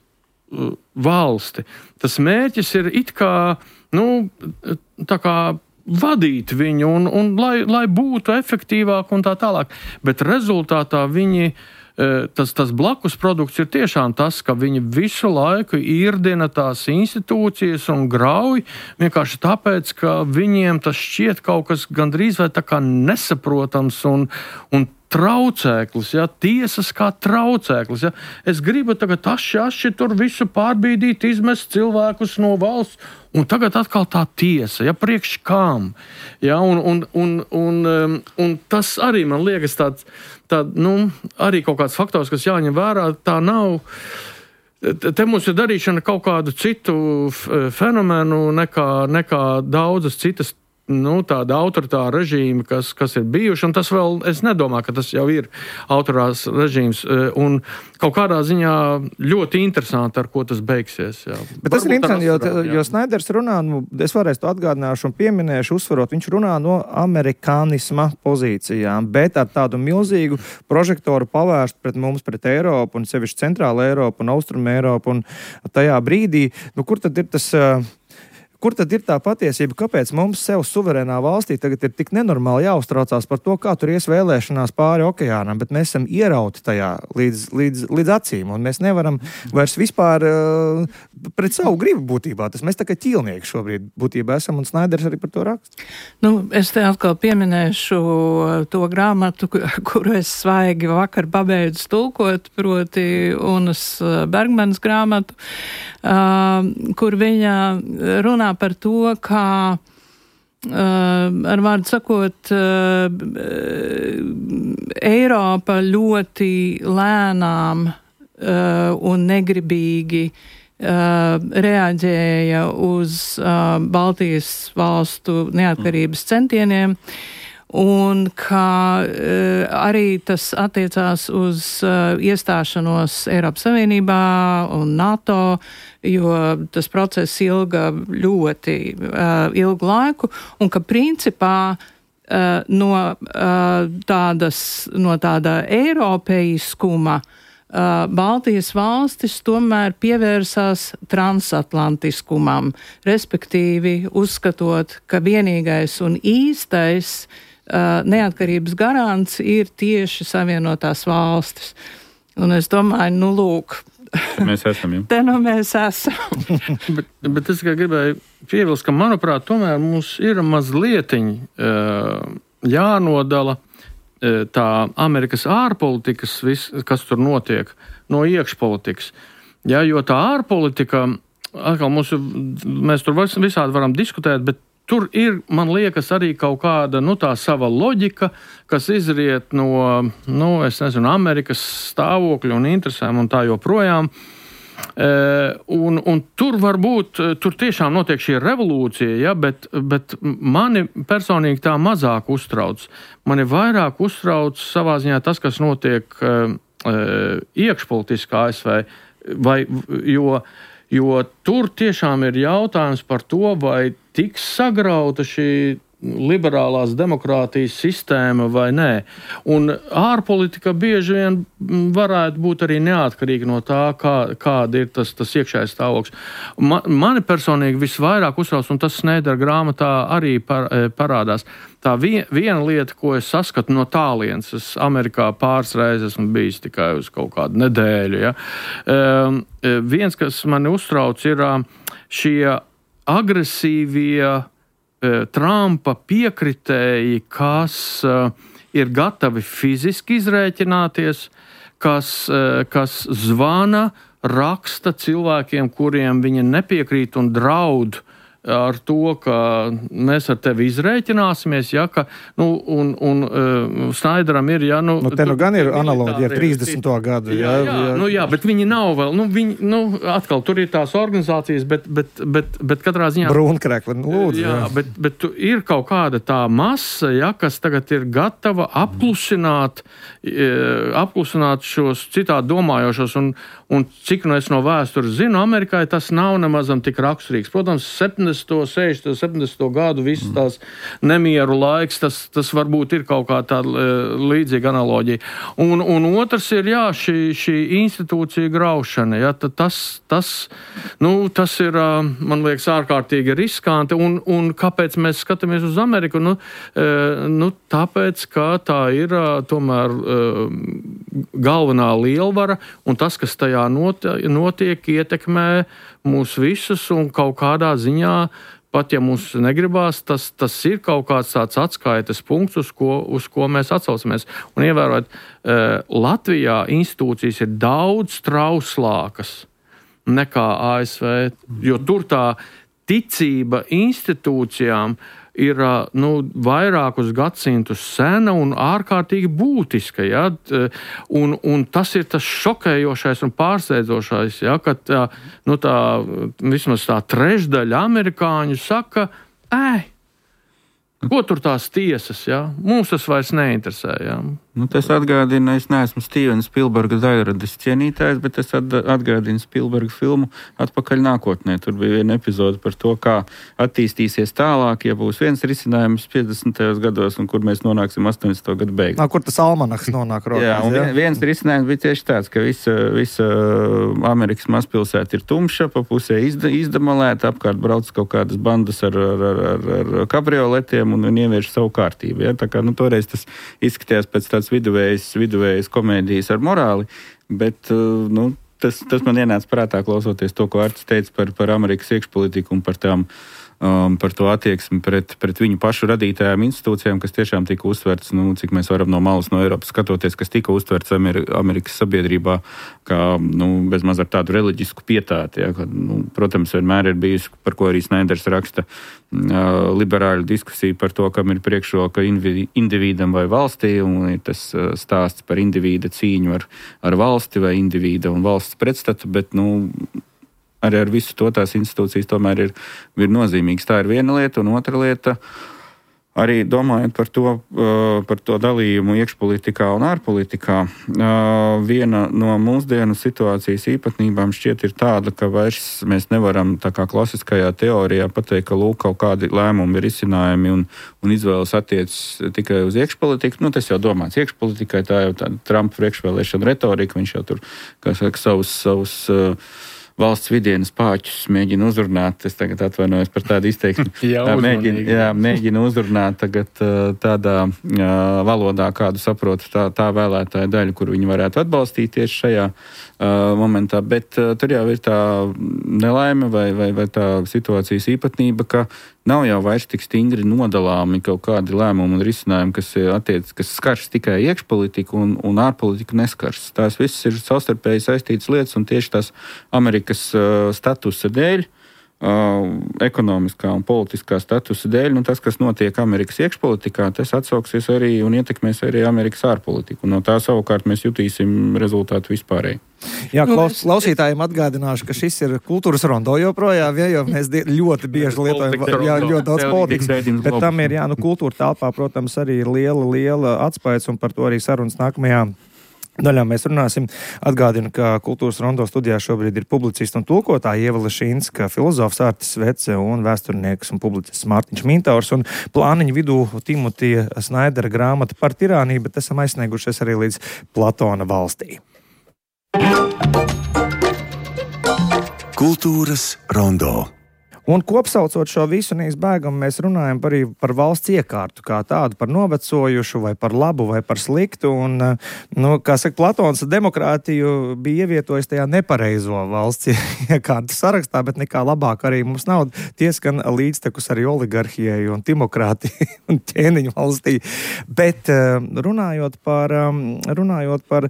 valsti. Tas mēķis ir it kā, nu, tā kā vadīt viņu, un, un lai, lai būtu efektīvāk un tā tālāk. Bet rezultātā viņi Tas, tas blakus produkts ir tiešām tas, ka viņi visu laiku īrdina tās institūcijas un grauj vienkārši tāpēc, ka viņiem tas šķiet kaut kas gandrīz vai tā kā nesaprotams un, un traucēklis, ja, tiesas kā traucēklis. Ja. Es gribu tagad aši, aši tur visu pārbīdīt, izmest cilvēkus no valsts, un tagad atkal tā tiesa, ja, priekš kām. Ja, un, un, un, un, un tas arī man liekas tāds, tā, nu, arī kaut kāds faktors, kas jāņem vērā, tā nav. Te mums ir darīšana kaut kādu citu fenomenu nekā, nekā daudzas citas, nu, tāda autoritāra režīma, kas, kas ir bijuši, un tas vēl, es nedomāju, ka tas jau ir autoritārs režīms, un kaut kādā ziņā ļoti interesanti, ar ko tas beigsies. Jā. Bet tas ir interesanti, jo, jo Snaiders runā, nu, es varēs to atgādināšu un pieminēšu, uzsvarot, viņš runā no amerikānisma pozīcijām, bet ar tādu milzīgu prožektoru pavērst pret mums, pret Eiropu, un sevišķi Centrāla Eiropu un Austrum Eiropu, un tajā brīdī, nu, kur tad ir tas... Kur tad ir tā patiesība, kāpēc mums sev suverēnā valstī tagad ir tik nenormāli jāuztraucās par to, kā tur ies vēlēšanās pāri okeānam, bet mēs esam ierauti tajā līdz, līdz, līdz acīm, un mēs nevaram vairs vispār uh, pret savu gribu būtībā. Tas mēs tā kā ķīlnieki šobrīd būtībā esam, un Snaiders arī par to raksta. Nu, es te atkal pieminēšu to grāmatu, kuru es svaigi vakar pabeidzu tulkot, proti Unas Bergmanas grāmatu, uh, kur viņa runā par to, kā, uh, ar vārdu sakot, uh, Eiropa ļoti lēnām uh, un negribīgi uh, reaģēja uz uh, Baltijas valstu neatkarības centieniem, un kā uh, arī tas attiecās uz uh, iestāšanos Eiropas Savienībā un NATO, jo tas process ilga ļoti uh, ilgu laiku, un ka principā uh, no, uh, tādas, no tāda eiropeiskuma uh, Baltijas valstis tomēr pievērsās transatlantiskumam, respektīvi uzskatot, ka vienīgais un īstais uh, neatkarības garants ir tieši Savienotās valstis. Un es domāju, nu lūk, mēs esam jau. Te nu mēs esam. bet, bet es gribēju piebilst, ka, manuprāt, tomēr mums ir mazlietiņ uh, jānodala uh, tā Amerikas ārpolitikas, vis, kas tur notiek, no iekšpolitikas. Ja, jo tā ārpolitika, atkal mums, mēs tur visādi varam diskutēt, bet tur ir, man liekas, arī kaut kāda, nu, tā sava loģika, kas izriet no, nu, es nezinu, Amerikas stāvokļa un interesēm un tā joprojām. E, un, un tur varbūt, tur tiešām notiek šī revolūcija, ja, bet, bet mani personīgi tā mazāk uztrauc. Mani vairāk uztrauc savā ziņā tas, kas notiek e, iekšpolitiskā A S V, vai, jo, jo tur tiešām ir jautājums par to, vai tiks sagrauta šī liberālās demokrātijas sistēma vai nē. Un ārpolitika bieži vien varētu būt arī neatkarīga no tā, kā, kāda ir tas, tas iekšējais stāvoklis. Man, mani personīgi visvairāk uztrauc, un tas Sneidera grāmatā arī par, parādās. Tā vien, viena lieta, ko es saskatu no tālienes, es Amerikā pāris reizes esmu bijis tikai uz kaut kādu nedēļu. Ja. Um, viens, kas mani uztrauc, ir šie agresīvie uh, Trumpa piekritēji, kas uh, ir gatavi fiziski izrēķināties, kas, uh, kas zvana, raksta cilvēkiem, kuriem viņi nepiekrīt un draud ar to, ka mēs ar tevi izrēķināsimies, ja, ka, nu, un, un uh, Snaideram ir, ja, nu... Nu, te nu gan ir analoģija ar trīsdesmito gadu, jā. Jā, jā, nu, jā, bet viņi nav vēl, nu, viņi, nu, atkal, tur ir tās organizācijas, bet, bet, bet, bet katrā ziņā... Brūnkrekli, nu, lūdzu. Jā, jā. Bet, bet ir kaut kāda tā masa, ja, kas tagad ir gatava apklusināt, apklusināt šos citādi domājošos, un, un cik nu es no vēstures zinu, Amerikai tas nav nemazam tik raksturīgs. Protams, septiņdesmito, sešdesmito, septiņdesmito gadu visas tās nemieru laiks, tas, tas varbūt ir kaut kā tāda līdzīga analoģija. Un, un otrs ir, jā, šī, šī institūcija graušana, jā, tas, tas, nu, tas ir, man liekas, ārkārtīgi riskanti, un, un kāpēc mēs skatāmies uz Ameriku? Nu, nu, tāpēc, ka tā ir tomēr galvenā lielvara, un tas, kas tajā notiek, ietekmē mūs visus, un kaut kādā ziņā, pat ja mums negribās, tas, tas ir kaut kāds tāds atskaites punkts, uz ko, uz ko mēs atsaucamies. Un ievērot, Latvijā institūcijas ir daudz trauslākas nekā A S V, jo tur tā ticība institūcijām ir, nu, vairākus gadsimtus sena un ārkārtīgi būtiska, ja? un, un tas ir tas šokējošais un pārsteidzošais, ja? Ka tā, nu, tā, vismaz tā trešdaļa amerikāņu saka, ē, ko tur tās tiesas, ja? Mums tas vairs neinteresē. Ja? Nu, tas atgādina, es neesmu Stevena Spilberga daļradas cienītājs, bet es atgādinu Spilberga filmu Atpakaļ nākotnē. Tur bija viena epizode par to, kā attīstīsies tālāk, ja būs viens risinājums piecdesmitajos gados, un kur mēs nonāksim astoņdesmito gadu beigās. Nā, kur tas almanaks nonāk rokās? Jā, un jā? viens risinājums bija tieši tāds, ka visa, visa Amerikas mazpilsēta ir tumša, pa pusē izda, izdamalēta, apkārt brauc kaut kādas bandas ar, ar, ar, ar, ar kabrioletiem un, un ievērš savu kārtību. Ja? Tā kā, nu, toreiz tas izskatījās pēc tāds viduvējas, viduvējas komēdijas ar morāli, bet nu, tas, tas man ienāca prātā klausoties to, ko Artis teica par, par Amerikas iekšpolitiku un par tām Um, par to attieksmi pret, pret viņu pašu radītajām institūcijām, kas tiešām tika uztverts, nu, cik mēs varam no malas no Eiropas skatoties, kas tika uztverts Ameri- Amerikas sabiedrībā, kā, nu, bezmaz ar tādu reliģisku pietāti, ja, ka, nu, protams, vienmēr ir bijusi, par ko arī Sneiders raksta, uh, liberāļu diskusija par to, kam ir priekšroka indivi- individam vai valstī, un ir tas uh, stāsts par individa cīņu ar, ar valsti vai individa un valsts pretstatu, bet, nu, arī ar visu to tās institūcijas tomēr ir, ir nozīmīgas. Tā ir viena lieta, un otra lieta, arī domājot par to, par to dalījumu iekšpolitikā un ārpolitikā, viena no mūsdienu situācijas īpatnībām šķiet ir tāda, ka vairs mēs nevaram tā kā klasiskajā teorijā pateikt, ka lūk, kaut kādi lēmumi ir izcinājumi un, un izvēles attiecas tikai uz iekšpolitiku. Nu, tas jau domāts iekšpolitikai, tā jau tāda Trumpa priekšvēlēšana retorika, viņš jau tur, kā saka, savus, savus valsts vidienas pāķus mēģina uzrunāt. Es tagad atvainojos par tādu izteiksmi. jā, mēģina, jā, mēģina uzrunāt tagad tādā jā, valodā, kādu saprot tā, tā vēlētāja daļa, kur viņi varētu atbalstīt tieši šajā uh, momentā. Bet uh, tur jau ir tā nelaime vai, vai, vai tā situācijas īpatnība, ka nav jau vairs tik stingri nodalāmi kaut kādi lēmumi un risinājumi, kas, attiec, kas skars tikai iekšpolitiku un, un ārpolitiku neskars. Tās visas ir savstarpēji saistītas lietas, un tieši tās Amerikas uh, statusa dēļ, uh, ekonomiskā un politiskā statusa dēļ, nu tas, kas notiek Amerikas iekšpolitikā, tas atsauksies arī un ietekmēs arī Amerikas ārpolitiku. No tā savukārt mēs jutīsim rezultātu vispārēji. Jā, klaus, klausītājiem atgādināšu, ka šis ir kultūras rondo joprojām, ja, jo mēs ļoti bieži lietojam jā, ļoti daudz politikas, bet tam ir, jā, nu, kultūra telpā, protams, arī ir liela, liela atspējas, un par to arī sarunas nākamajā daļā mēs runāsim. Atgādinu, ka Kultūras rondo studijā šobrīd ir publicists un tulkotāja Ieva Lešinska, filozofs Artis Vece un vēsturnieks un publicists Mārtiņš Mintaurs. Un plāniņu vidū Timotija Snaidera grāmata par tirāniju, bet esam aizsniegušies arī līdz Platona valstī. Kultūras rondo. Un kopsaucot šo visu neizbēgam, mēs runājam par, par valsts iekārtu kā tādu, par novecojušu vai par labu vai par sliktu. Un, nu, kā saka, Platons demokrātiju bija ievietojis tajā nepareizo valsts iekārtu sarakstā, bet nekā labāk arī mums nav. Tieskan līdztekus arī oligarhijai un demokrātijai un ķēniņu valstī. Bet runājot par, runājot par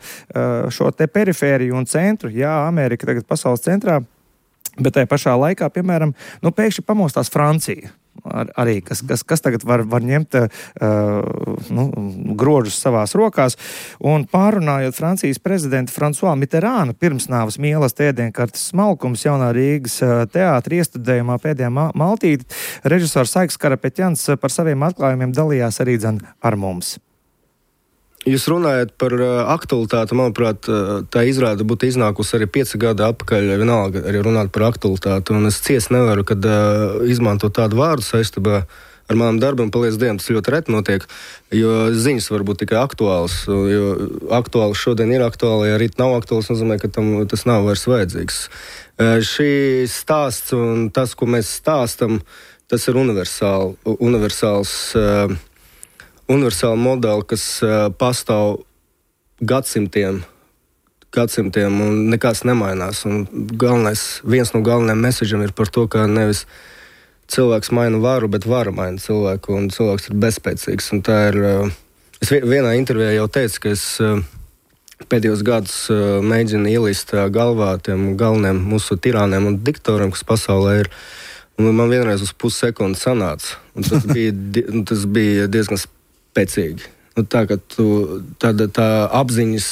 šo te perifēriju un centru, jā, Amerika tagad pasaules centrā, bet tajā pašā laikā, piemēram, nu, pēkšņi pamostās Francija. Ar, arī, kas, kas, kas tagad var, var ņemt uh, nu, grožus savās rokās. Un pārunājot Francijas prezidentu François Mitterānu pirmsnāvas mielas ēdienkartes smalkums jaunā Rīgas teātra iestudējumā pēdējā maltīte, režisors Saiks Karapeķans par saviem atklājumiem dalījās arī dzen ar mums. Jūs runājat par aktualitāti, manuprāt, tā izrāde būtu iznākusi arī pieci gadi atpakaļ, vienalga arī runāt par aktualitāti, un es ciest nevaru, kad uh, izmanto tādu vārdu saistībā ar manam darbam, paliec dienam, tas ļoti reti notiek, jo ziņas var būt tikai aktuāls, jo aktuāls šodien ir aktuāli, ja rīt nav aktuāls, nozīmē, ka tam tas nav vairs vajadzīgs. Uh, šī stāsts un tas, ko mēs stāstam, tas ir universāli, universāls uh, universāla modeli, kas uh, pastāv gadsimtiem, gadsimtiem un nekas nemainās. Un galvenais, viens no galvenajiem meseģiem ir par to, ka nevis cilvēks maina varu, bet vara maina cilvēku, un cilvēks ir bezspēcīgs. Un tā ir, uh, es vienā intervijā jau teicu, ka es uh, pēdējos gadus uh, mēģinu ielīst uh, galvā tiem galveniem mūsu tirāniem un diktoriem, kas pasaulē ir. Un man vienreiz uz pussekundi sanāca. Un tas bija, di- tas bija diezgan spēcīgi. Nu, tā, ka tu, tāda, tā apziņas,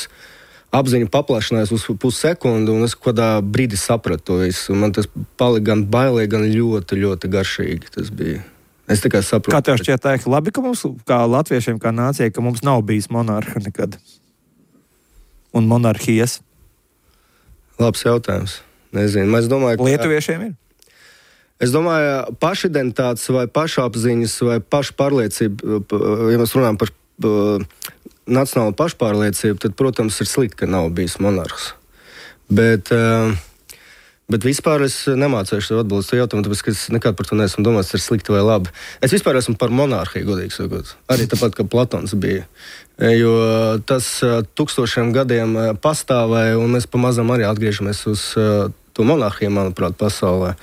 apziņa paplašinājās uz pussekundi, un es kādā brīdī sapratu to visu. Man tas palika gan bailīgi, gan ļoti, ļoti garšīgi. Tas bija. Es tikai saprotu. Kā tev šķiet, tā ir labi, ka mums, kā latviešiem, kā nācijai, ka mums nav bijis monarha nekad? Un monarhijas? Labs jautājums. Nezinu. Es domāju, ka Lietuviešiem ir? Es domāju, pašidentitātes vai pašapziņas vai pašpārliecība, ja mēs runājam par uh, nacionālu pašpārliecību, tad, protams, ir slikti, ka nav bijis monarhs. Bet, uh, bet vispār es nemācēšu tev atbildēt to jautājumu, tāpēc, ka es nekad par to neesmu domājis, ir slikti vai labi. Es vispār esmu par monarhiju, godīgi sakot. Arī tāpat, kā Platons bija. Jo tas uh, tūkstošiem gadiem uh, pastāvēja, un mēs pamazām arī atgriežamies uz uh, to monarhiju, manuprāt, pasaulē.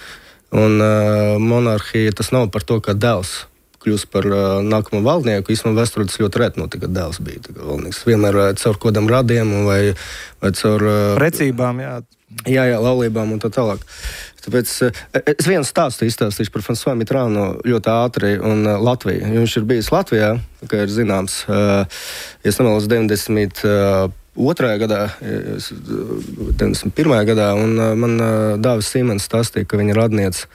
Un uh, monarhija tas nav par to, ka dēls kļūst par uh, nākamo valdnieku. Īstenībā vēsturē tas ļoti reti notika, ka dēls bija tā kā valdnieks. Vienmēr uh, caur kodam radiem vai, vai caur uh, precībām, jā. Jā, jā, laulībām un tā tālāk. Tāpēc uh, es vienu stāstu izstāstīšu par François Mitterānu ļoti ātri un uh, Latviju. Viņš ir bijis Latvijā, kā ir zināms, uh, ja es nemaldos deviņdesmit otrajā gadā, deviņdesmit pirmajā gadā, un man Dāvis Sīmens stāstīja, ka viņa radniece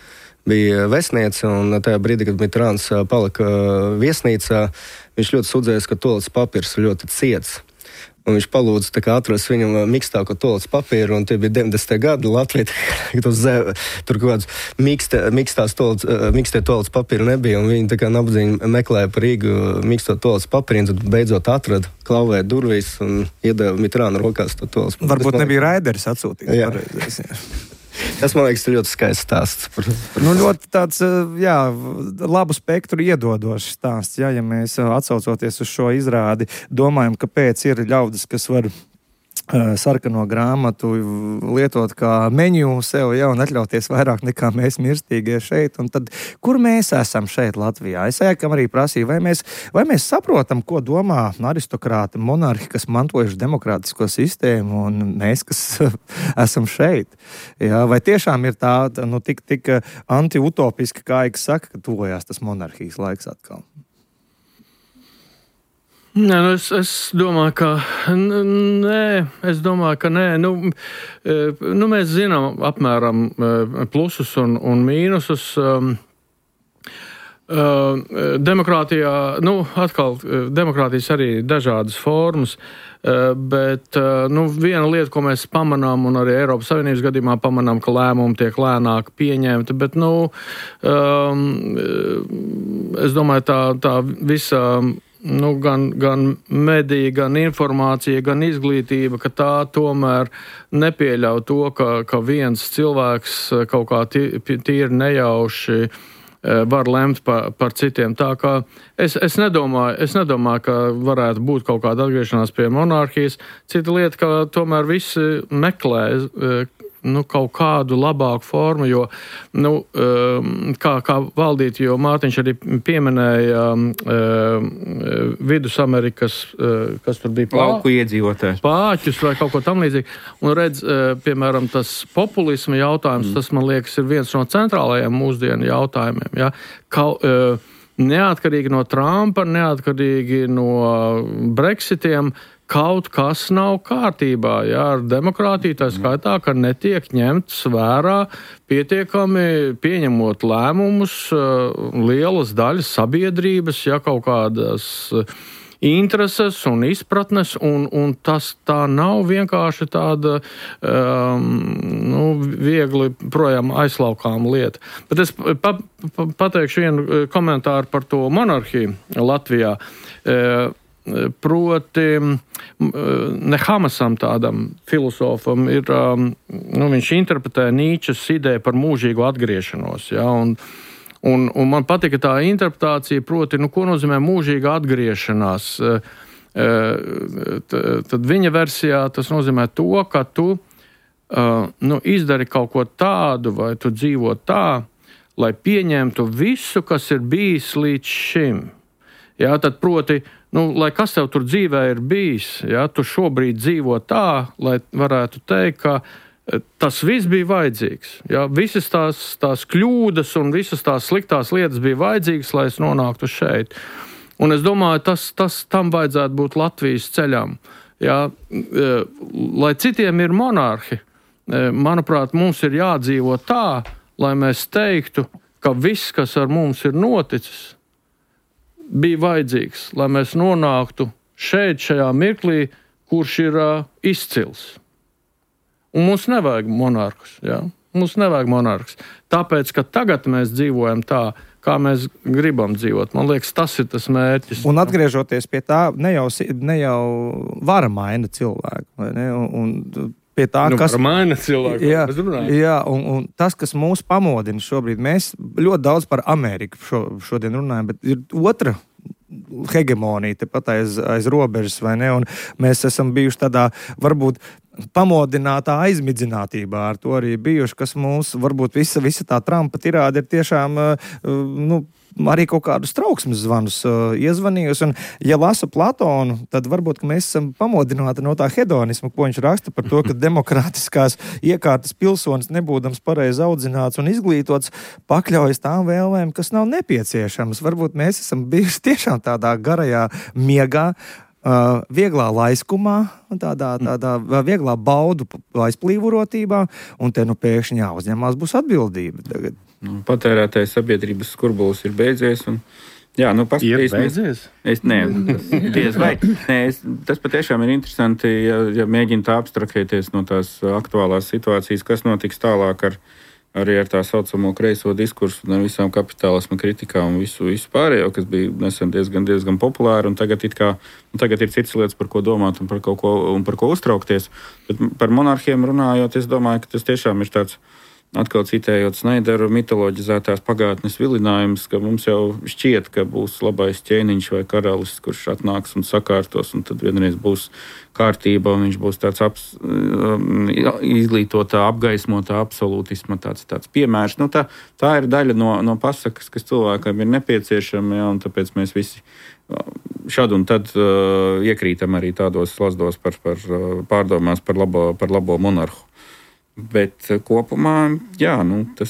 bija vēstniece, un tajā brīdī, kad Mitterāns palika viesnīcā, viņš ļoti sūdzējās, ka toaletes papīrs ir ļoti ciets. Un viņš palūdza tā kā atrast viņam mikstāko toaletes papīru, un tie bija deviņdesmitie gadi Latvijā. Tur kaut kāds mikstās toaletes, mikstie toaletes papīri nebija, un viņi tā kā nabadzīgi meklēja par Rīgu miksto toaletes papīru, un tad beidzot atrada, klauvēja durvīs un iedeva Mitterāna rokās to toaletes papīru. Varbūt nebija Raideris atsūtījis. Jā. Tas, man liekas, ir ļoti skaists stāsts. Par, par nu, ļoti tāds, jā, labu spektru iedodošs stāsts, jā, ja mēs atsaucoties uz šo izrādi, domājam, kāpēc ir ļaudis, kas var sarkano grāmatu lietot kā meniju sev, ja, un atļauties vairāk nekā mēs mirstīgie šeit. Un tad, kur mēs esam šeit Latvijā? Es ēkam arī prasīju, vai mēs, vai mēs saprotam, ko domā aristokrāti, monarhi, kas mantojuši demokrātisko sistēmu, un mēs, kas esam šeit. Ja, vai tiešām ir tā, nu, tik, tik anti-utopiski, kā Aiks saka, ka tuvojās tas monarhijas laiks atkal? Nē, nu es, es domāju, ka nē, es domāju, ka nē. Nu, nu, mēs zinām apmēram plusus un, un mīnusus. Uh, demokrātijā, nu, atkal, demokrātijas arī dažādas formas, uh, bet uh, nu, viena lieta, ko mēs pamanām, un arī Eiropas Savienības gadījumā pamanām, ka lēmumi tiek lēnāk pieņemti, bet, nu, um, es domāju, tā, tā visa, nu, gan, gan medija, gan informācija, gan izglītība, ka tā tomēr nepieļauj to, ka, ka viens cilvēks kaut kā tīri nejauši var lemt par, par citiem. Tā kā es, es, nedomāju, es nedomāju, ka varētu būt kaut kāda atgriešanās pie monarhijas. Cita lieta, ka tomēr visi meklē nu, kaut kādu labāku formu, jo, nu, kā, kā valdīt, jo Mārtiņš arī pieminēja Vidusamerikas, kas tur bija lauku iedzīvotājs. Pāķus vai kaut ko tam līdzīgi. Un redz, piemēram, tas populisma jautājums, mm. tas, man liekas, ir viens no centrālajiem mūsdienu jautājumiem. Ja? Kaut, neatkarīgi no Trumpa, neatkarīgi no Brexitiem, kaut kas nav kārtībā, jā, ar demokrātiju, tā skaitā, ka netiek ņemts vērā pietiekami pieņemot lēmumus lielas daļas sabiedrības, ja kaut kādas intereses un izpratnes, un, un tas tā nav vienkārši tāda um, nu, viegli projām aizlaukām lieta. Bet es pa, pa, pateikšu vienu komentāru par to monarhiju Latvijā. Uh, Proti, ne Hamasam tādam filosofam ir, nu, viņš interpretē Nīčes ideju par mūžīgu atgriešanos, ja, un, un, un man patika tā interpretācija, proti, nu, ko nozīmē mūžīga atgriešanās. Tad viņa versijā tas nozīmē to, ka tu, nu, izdari kaut ko tādu, vai tu dzīvo tā, lai pieņemtu visu, kas ir bijis līdz šim. Ja, tad proti, nu, lai kas tev tur dzīvē ir bijis, ja, tu šobrīd dzīvo tā, lai varētu teikt, ka tas viss bija vajadzīgs. Ja, visas tās, tās kļūdas un visas tās sliktās lietas bija vajadzīgas, lai es nonāktu šeit. Un es domāju, tas, tas tam vajadzētu būt Latvijas ceļam. Ja, lai citiem ir monarhi, manuprāt, mums ir jādzīvo tā, lai mēs teiktu, ka viss, kas ar mums ir noticis, bija vajadzīgs, lai mēs nonāktu šeit, šajā mirklī, kurš ir uh, izcils. Un mums nevajag monarkus, jā? Mums nevajag monarkus. Tāpēc, ka tagad mēs dzīvojam tā, kā mēs gribam dzīvot. Man liekas, tas ir tas mērķis. Un atgriežoties pie tā, ne jau, ne jau vara maina cilvēku, vai ne? Un, un pie tā, nu, kas maina cilvēku. Jā, jā un, un tas, kas mūs pamodina šobrīd, mēs ļoti daudz par Ameriku šo, šodien runājam, bet ir otra hegemonija tepat aiz, aiz robežas, vai ne? Un mēs esam bijuši tādā, varbūt, pamodinātā aizmidzinātībā ar to arī bijuši, kas mūs, varbūt visa, visa tā Trumpa tirāde ir tiešām, nu, arī kaut kādus trauksmes zvanus uh, iezvanījusi. Un, ja lasa Platonu, tad varbūt, ka mēs esam pamodināti no tā hedonisma, ko viņš raksta par to, ka demokrātiskās iekārtas pilsonis, nebūdams pareizi audzināts un izglītots, pakļaujas tām vēlēm, kas nav nepieciešamas. Varbūt mēs esam bijuši tiešām tādā garajā miegā, uh, vieglā laiskumā, tādā, tādā vieglā baudu aizplīvurotībā, un te nu pēkšņi jāuzņemās būs atbildība tagad. Patērētāju sabiedrības skurbulis ir beidzies. Un, jā, nu, ir beidzies? Es, nē, tas, diez vai. Nē, es, tas patiešām ir interesanti, ja, ja mēģina tā abstraktēties no tās aktuālās situācijas, kas notiks tālāk ar, arī ar tā saucamo kreiso diskursu, ar visām kapitālisma kritikām un visu, visu pārējo, kas bija nesen diezgan, diezgan populāri, un tagad, it kā, un tagad ir citas lietas, par ko domāt un par, kaut ko, un par ko uztraukties. Bet par monarhiem runājot, es domāju, ka tas tiešām ir tāds, atkal citējot Snaideru, mitoloģizētās pagātnes vilinājums, ka mums jau šķiet, ka būs labais ķēniņš vai karalis, kurš atnāks un sakārtos, un tad vienreiz būs kārtība, un viņš būs tāds aps, izglītotā, apgaismotā absolūtisma tāds, tāds piemērs. Nu, tā, tā ir daļa no, no pasakas, kas cilvēkam ir nepieciešama, ja, un tāpēc mēs visi šad un tad uh, iekrītam arī tādos slazdos par, par pārdomās par labo, par labo monarhu. Bet kopumā, jā, nu, tas,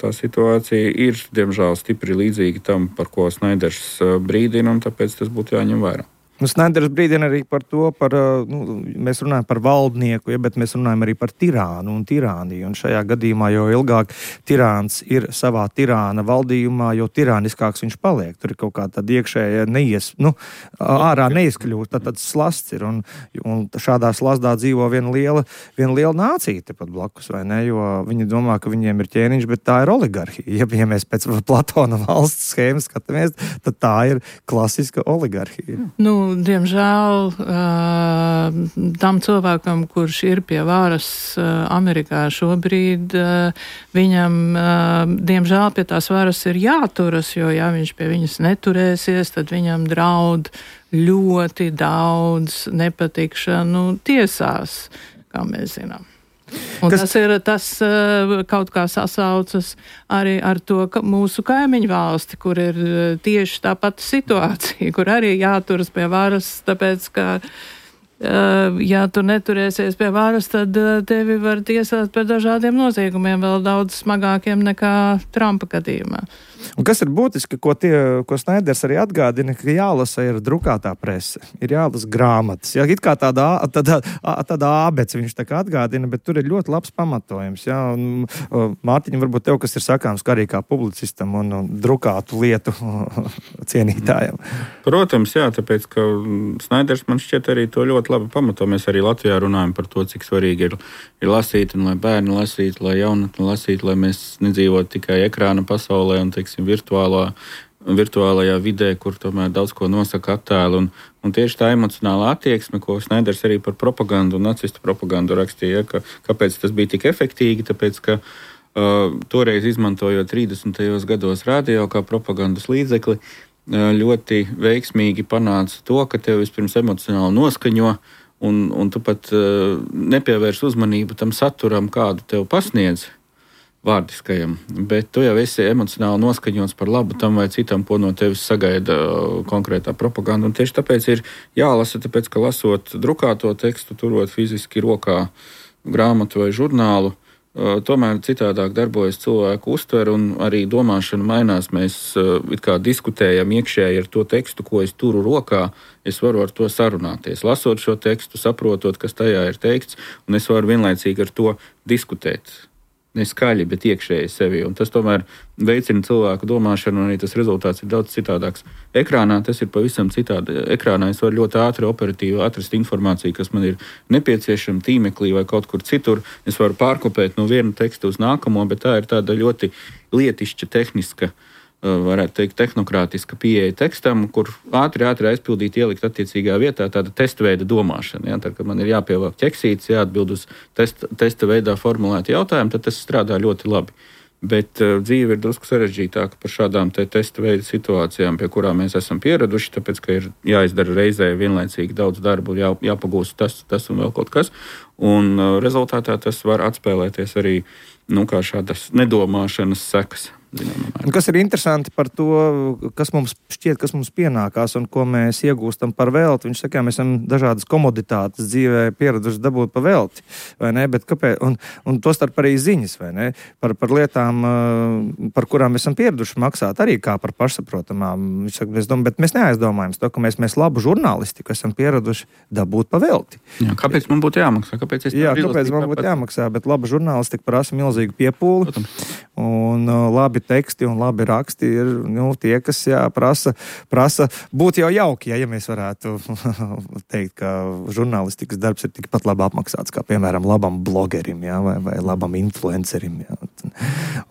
tā situācija ir, diemžēl, stipri līdzīga tam, par ko Snaiders brīdina, un tāpēc tas būtu jāņem vērā. Nu, Snaiders brīdina arī par to, par, nu, mēs runājam par valdnieku, ja, bet mēs runājam arī par tirānu un tirāniju. Un šajā gadījumā, jo ilgāk tirāns ir savā tirāna valdījumā, jo tirāniskāks viņš paliek. Tur ir kaut kā tāda iekšēja neies, nu, ārā neizkļūt, tad tāds slasts ir. Un, un šādā slazdā dzīvo viena liela, viena liela nācija tepat blakus, vai ne? Jo viņi domā, ka viņiem ir ķēniņš, bet tā ir oligarhija. Ja, ja mēs pēc Platona valsts schēmas skatāmies, tad tā ir klasiska oligarhija. Nu, diemžēl tam cilvēkam, kurš ir pie varas Amerikā šobrīd, viņam, diemžēl, pie tās varas ir jāturas, jo, ja viņš pie viņas neturēsies, tad viņam draud ļoti daudz nepatikšanu tiesās, kā mēs zinām. Un Kas... tas ir, tas kaut kā sasaucas arī ar to ka mūsu kaimiņu valsti, kur ir tieši tā pati situācija, kur arī jāturas pie varas, tāpēc, ka, ja tu neturēsies pie varas, tad tevi var tiesāt par dažādiem noziegumiem, vēl daudz smagākiem nekā Trumpa gadījumā. Un kas ir būtiski, ko, tie, ko Snaiders arī atgādina, ka jālasa ir drukātā prese, ir jālasa grāmatas. Jā, it kā tāda, tāda, tāda ābec viņš tā kā atgādina, bet tur ir ļoti labs pamatojums. Jā, un, Mārtiņa, varbūt tev, kas ir sakāms, kā arī kā publicistam un, un drukātu lietu cienītājam. Protams, jā, tāpēc, ka Snaiders man šķiet arī to ļoti labi pamato. Mēs arī Latvijā runājam par to, cik svarīgi ir, ir lasīt, un lai bērni lasītu, lai jaunatni lasītu, lai mēs nedzīvotu tikai ekrāna pasaulē un, teiksim, virtuālā, virtuālajā vidē, kur tomēr daudz ko nosaka attēli. Un, un tieši tā emocionālā attieksme, ko Snaiders arī par propagandu un nacistu propagandu rakstīja, ka, kāpēc tas bija tik efektīgi, tāpēc, ka uh, toreiz izmantojot trīsdesmitajos gados radio kā propagandas līdzekli, uh, ļoti veiksmīgi panāca to, ka tev vispirms emocionāli noskaņo, un, un tu pat uh, nepievērš uzmanību tam saturam, kādu tev pasniedz vārdiskajam, bet tu jau esi emocionāli noskaņots par labu tam vai citam, ko no tevis sagaida konkrētā propaganda. Un tieši tāpēc ir jālasa, tāpēc, ka lasot drukāto tekstu, turot fiziski rokā grāmatu vai žurnālu, tomēr citādāk darbojas cilvēku uztver un arī domāšana mainās. Mēs it kā diskutējam iekšēji ar to tekstu, ko es turu rokā, es varu ar to sarunāties. Lasot šo tekstu, saprotot, kas tajā ir teikts, un es varu vienlaicīgi ar to diskutēt. Ne skaļi, bet iekšēji sevi. Un tas tomēr veicina cilvēku domāšanu, un arī tas rezultāts ir daudz citādāks. Ekrānā tas ir pavisam citādi. Ekrānā es varu ļoti ātri, operatīvi atrast informāciju, kas man ir nepieciešama tīmeklī vai kaut kur citur. Es varu pārkopēt no viena teksta uz nākamo, bet tā ir tāda ļoti lietišķa, tehniska, varētu teikt, tehnokrātiska pieeja tekstam, kur ātri, ātri aizpildīt, ielikt attiecīgā vietā tāda testa veida domāšana. Ja? Tad, kad man ir jāpievāk ķeksītes, jāatbild uz testa, testa veidā formulētu jautājumu, tad tas strādā ļoti labi. Bet uh, dzīve ir drusku sarežģītāka par šādām te testa veida situācijām, pie kurām mēs esam pieraduši, tāpēc, ka ir jāizdara reizē vienlaicīgi daudz darbu, jā, jāpagūst tas, tas un vēl kaut kas. Un uh, rezultātā tas var atspēlēties arī, nu, kā šādas nedomāšanas sekas. Kas ir interesanti par to, kas mums šķiet, kas mums pienākās un ko mēs iegūstam par velti. Viņš saka, mēs esam dažādas komoditātes dzīvē pieraduši dabūt pa velti, vai ne? Bet kāpēc? Un, un to starp arī ziņas, vai ne? Par, par lietām, par kurām mēs esam pieraduši maksāt arī kā par pašsaprotamām. Viņš saka, mēs domājam, bet mēs neaizdomājam to, ka mēs, mēs labu žurnālistiku esam pieraduši dabūt pa velti. Jā, kāpēc man būtu jāmaksā? Kāpēc, Jā, kāpēc man būtu jāmaksā? Bet laba žurnālistika prasa milzīgu piepūli. Un labi teksti un labi raksti ir nu, tie, kas jā, prasa, prasa būt jau jauki, ja, ja mēs varētu teikt, ka žurnālistikas darbs ir tikpat labi apmaksāts, kā piemēram labam blogerim, jā, vai, vai labam influencerim, jā,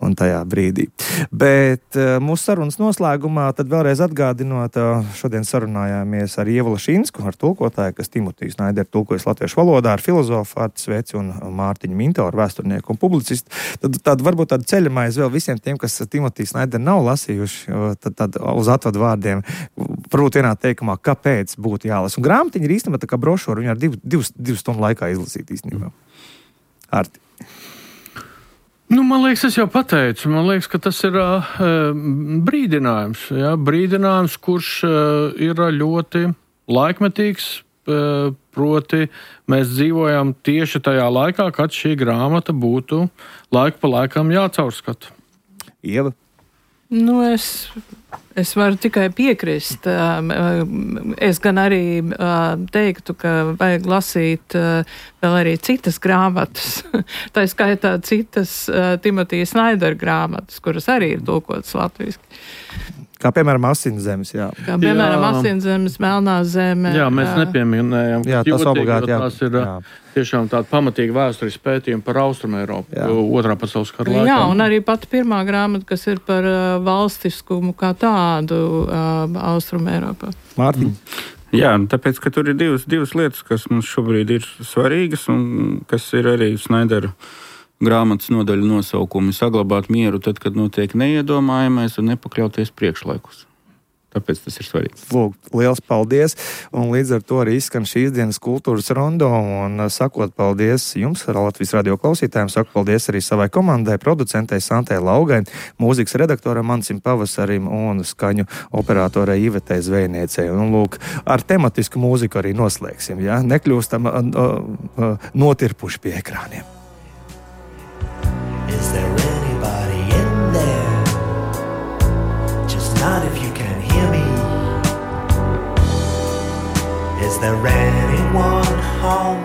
un tajā brīdī. Bet mūsu sarunas noslēgumā tad vēlreiz atgādinot, šodien sarunājāmies ar Ievu Lašīnsku, ar tulkotāju, kas Timotiju Snaideru tulkojas latviešu valodā, ar filozofu Artu Sveci un Mārtiņu Mintoru, vēsturnieku un publicistu. Tad, tad varbūt tāda ceļamais vēl visiem tiem, kas Timotiju Snaideru nav lasījuši, tad, tad uz atvadu vārdiem varbūt vienā teikumā, kāpēc būtu jālasa. Un grāmatiņa ir īstenībā tā kā brošūra, viņa ar divu, divu, divu stundu laikā izlasīt īstenībā. Arti. Nu, man liekas, es jau pateicu, man liekas, ka tas ir uh, brīdinājums, ja? Brīdinājums, kurš uh, ir ļoti laikmetīgs, uh, proti mēs dzīvojam tieši tajā laikā, kad šī grāmata būtu laiku pa laikam jācaurskata. Ieva? Nu, es, es varu tikai piekrist. Es gan arī teiktu, ka vajag lasīt vēl arī citas grāmatas. Tā skaitā citas Timotija Snaidera grāmatas, kuras arī ir tulkotas latviski. Kā piemēram Asinszemes, jā. Kā piemēram Asinszemes, Melnā zeme. Jā, mēs nepieminējam. Jā, tas obligāti, jā. Tās ir jā. tiešām tāda pamatīga vēstures pētījuma par Austrumēropu otrā pasaules kara laikā. Jā, un arī pati pirmā grāmata, kas ir par uh, valstiskumu kā tādu uh, Austrumēropā. Mārtiņ. Jā, tāpēc, ka tur ir divas, divas lietas, kas mums šobrīd ir svarīgas un kas ir arī Snaidera grāmatas nodaļu nosaukumi saglabāt mieru tad, kad notiek neiedomājamais un nepakļauties priekšlaikus. Tāpēc tas ir svarīgi. Lūk, liels paldies, un līdz ar to arī izskan šīs dienas kultūras rondo, un sakot paldies jums, Latvijas radio klausītājiem, saku paldies arī savai komandai, producentei Santei Laugai, mūzikas redaktoram Mansim Pavasarim un skaņu operatorai Ivetei Zvejniecei. Un lūk, ar tematisku mūziku arī noslēgsim, ja? Nekļūstam uh, uh, notirpuši pie ekrāniem. Is there anybody in there? Just not if you can hear me. Is there anyone home?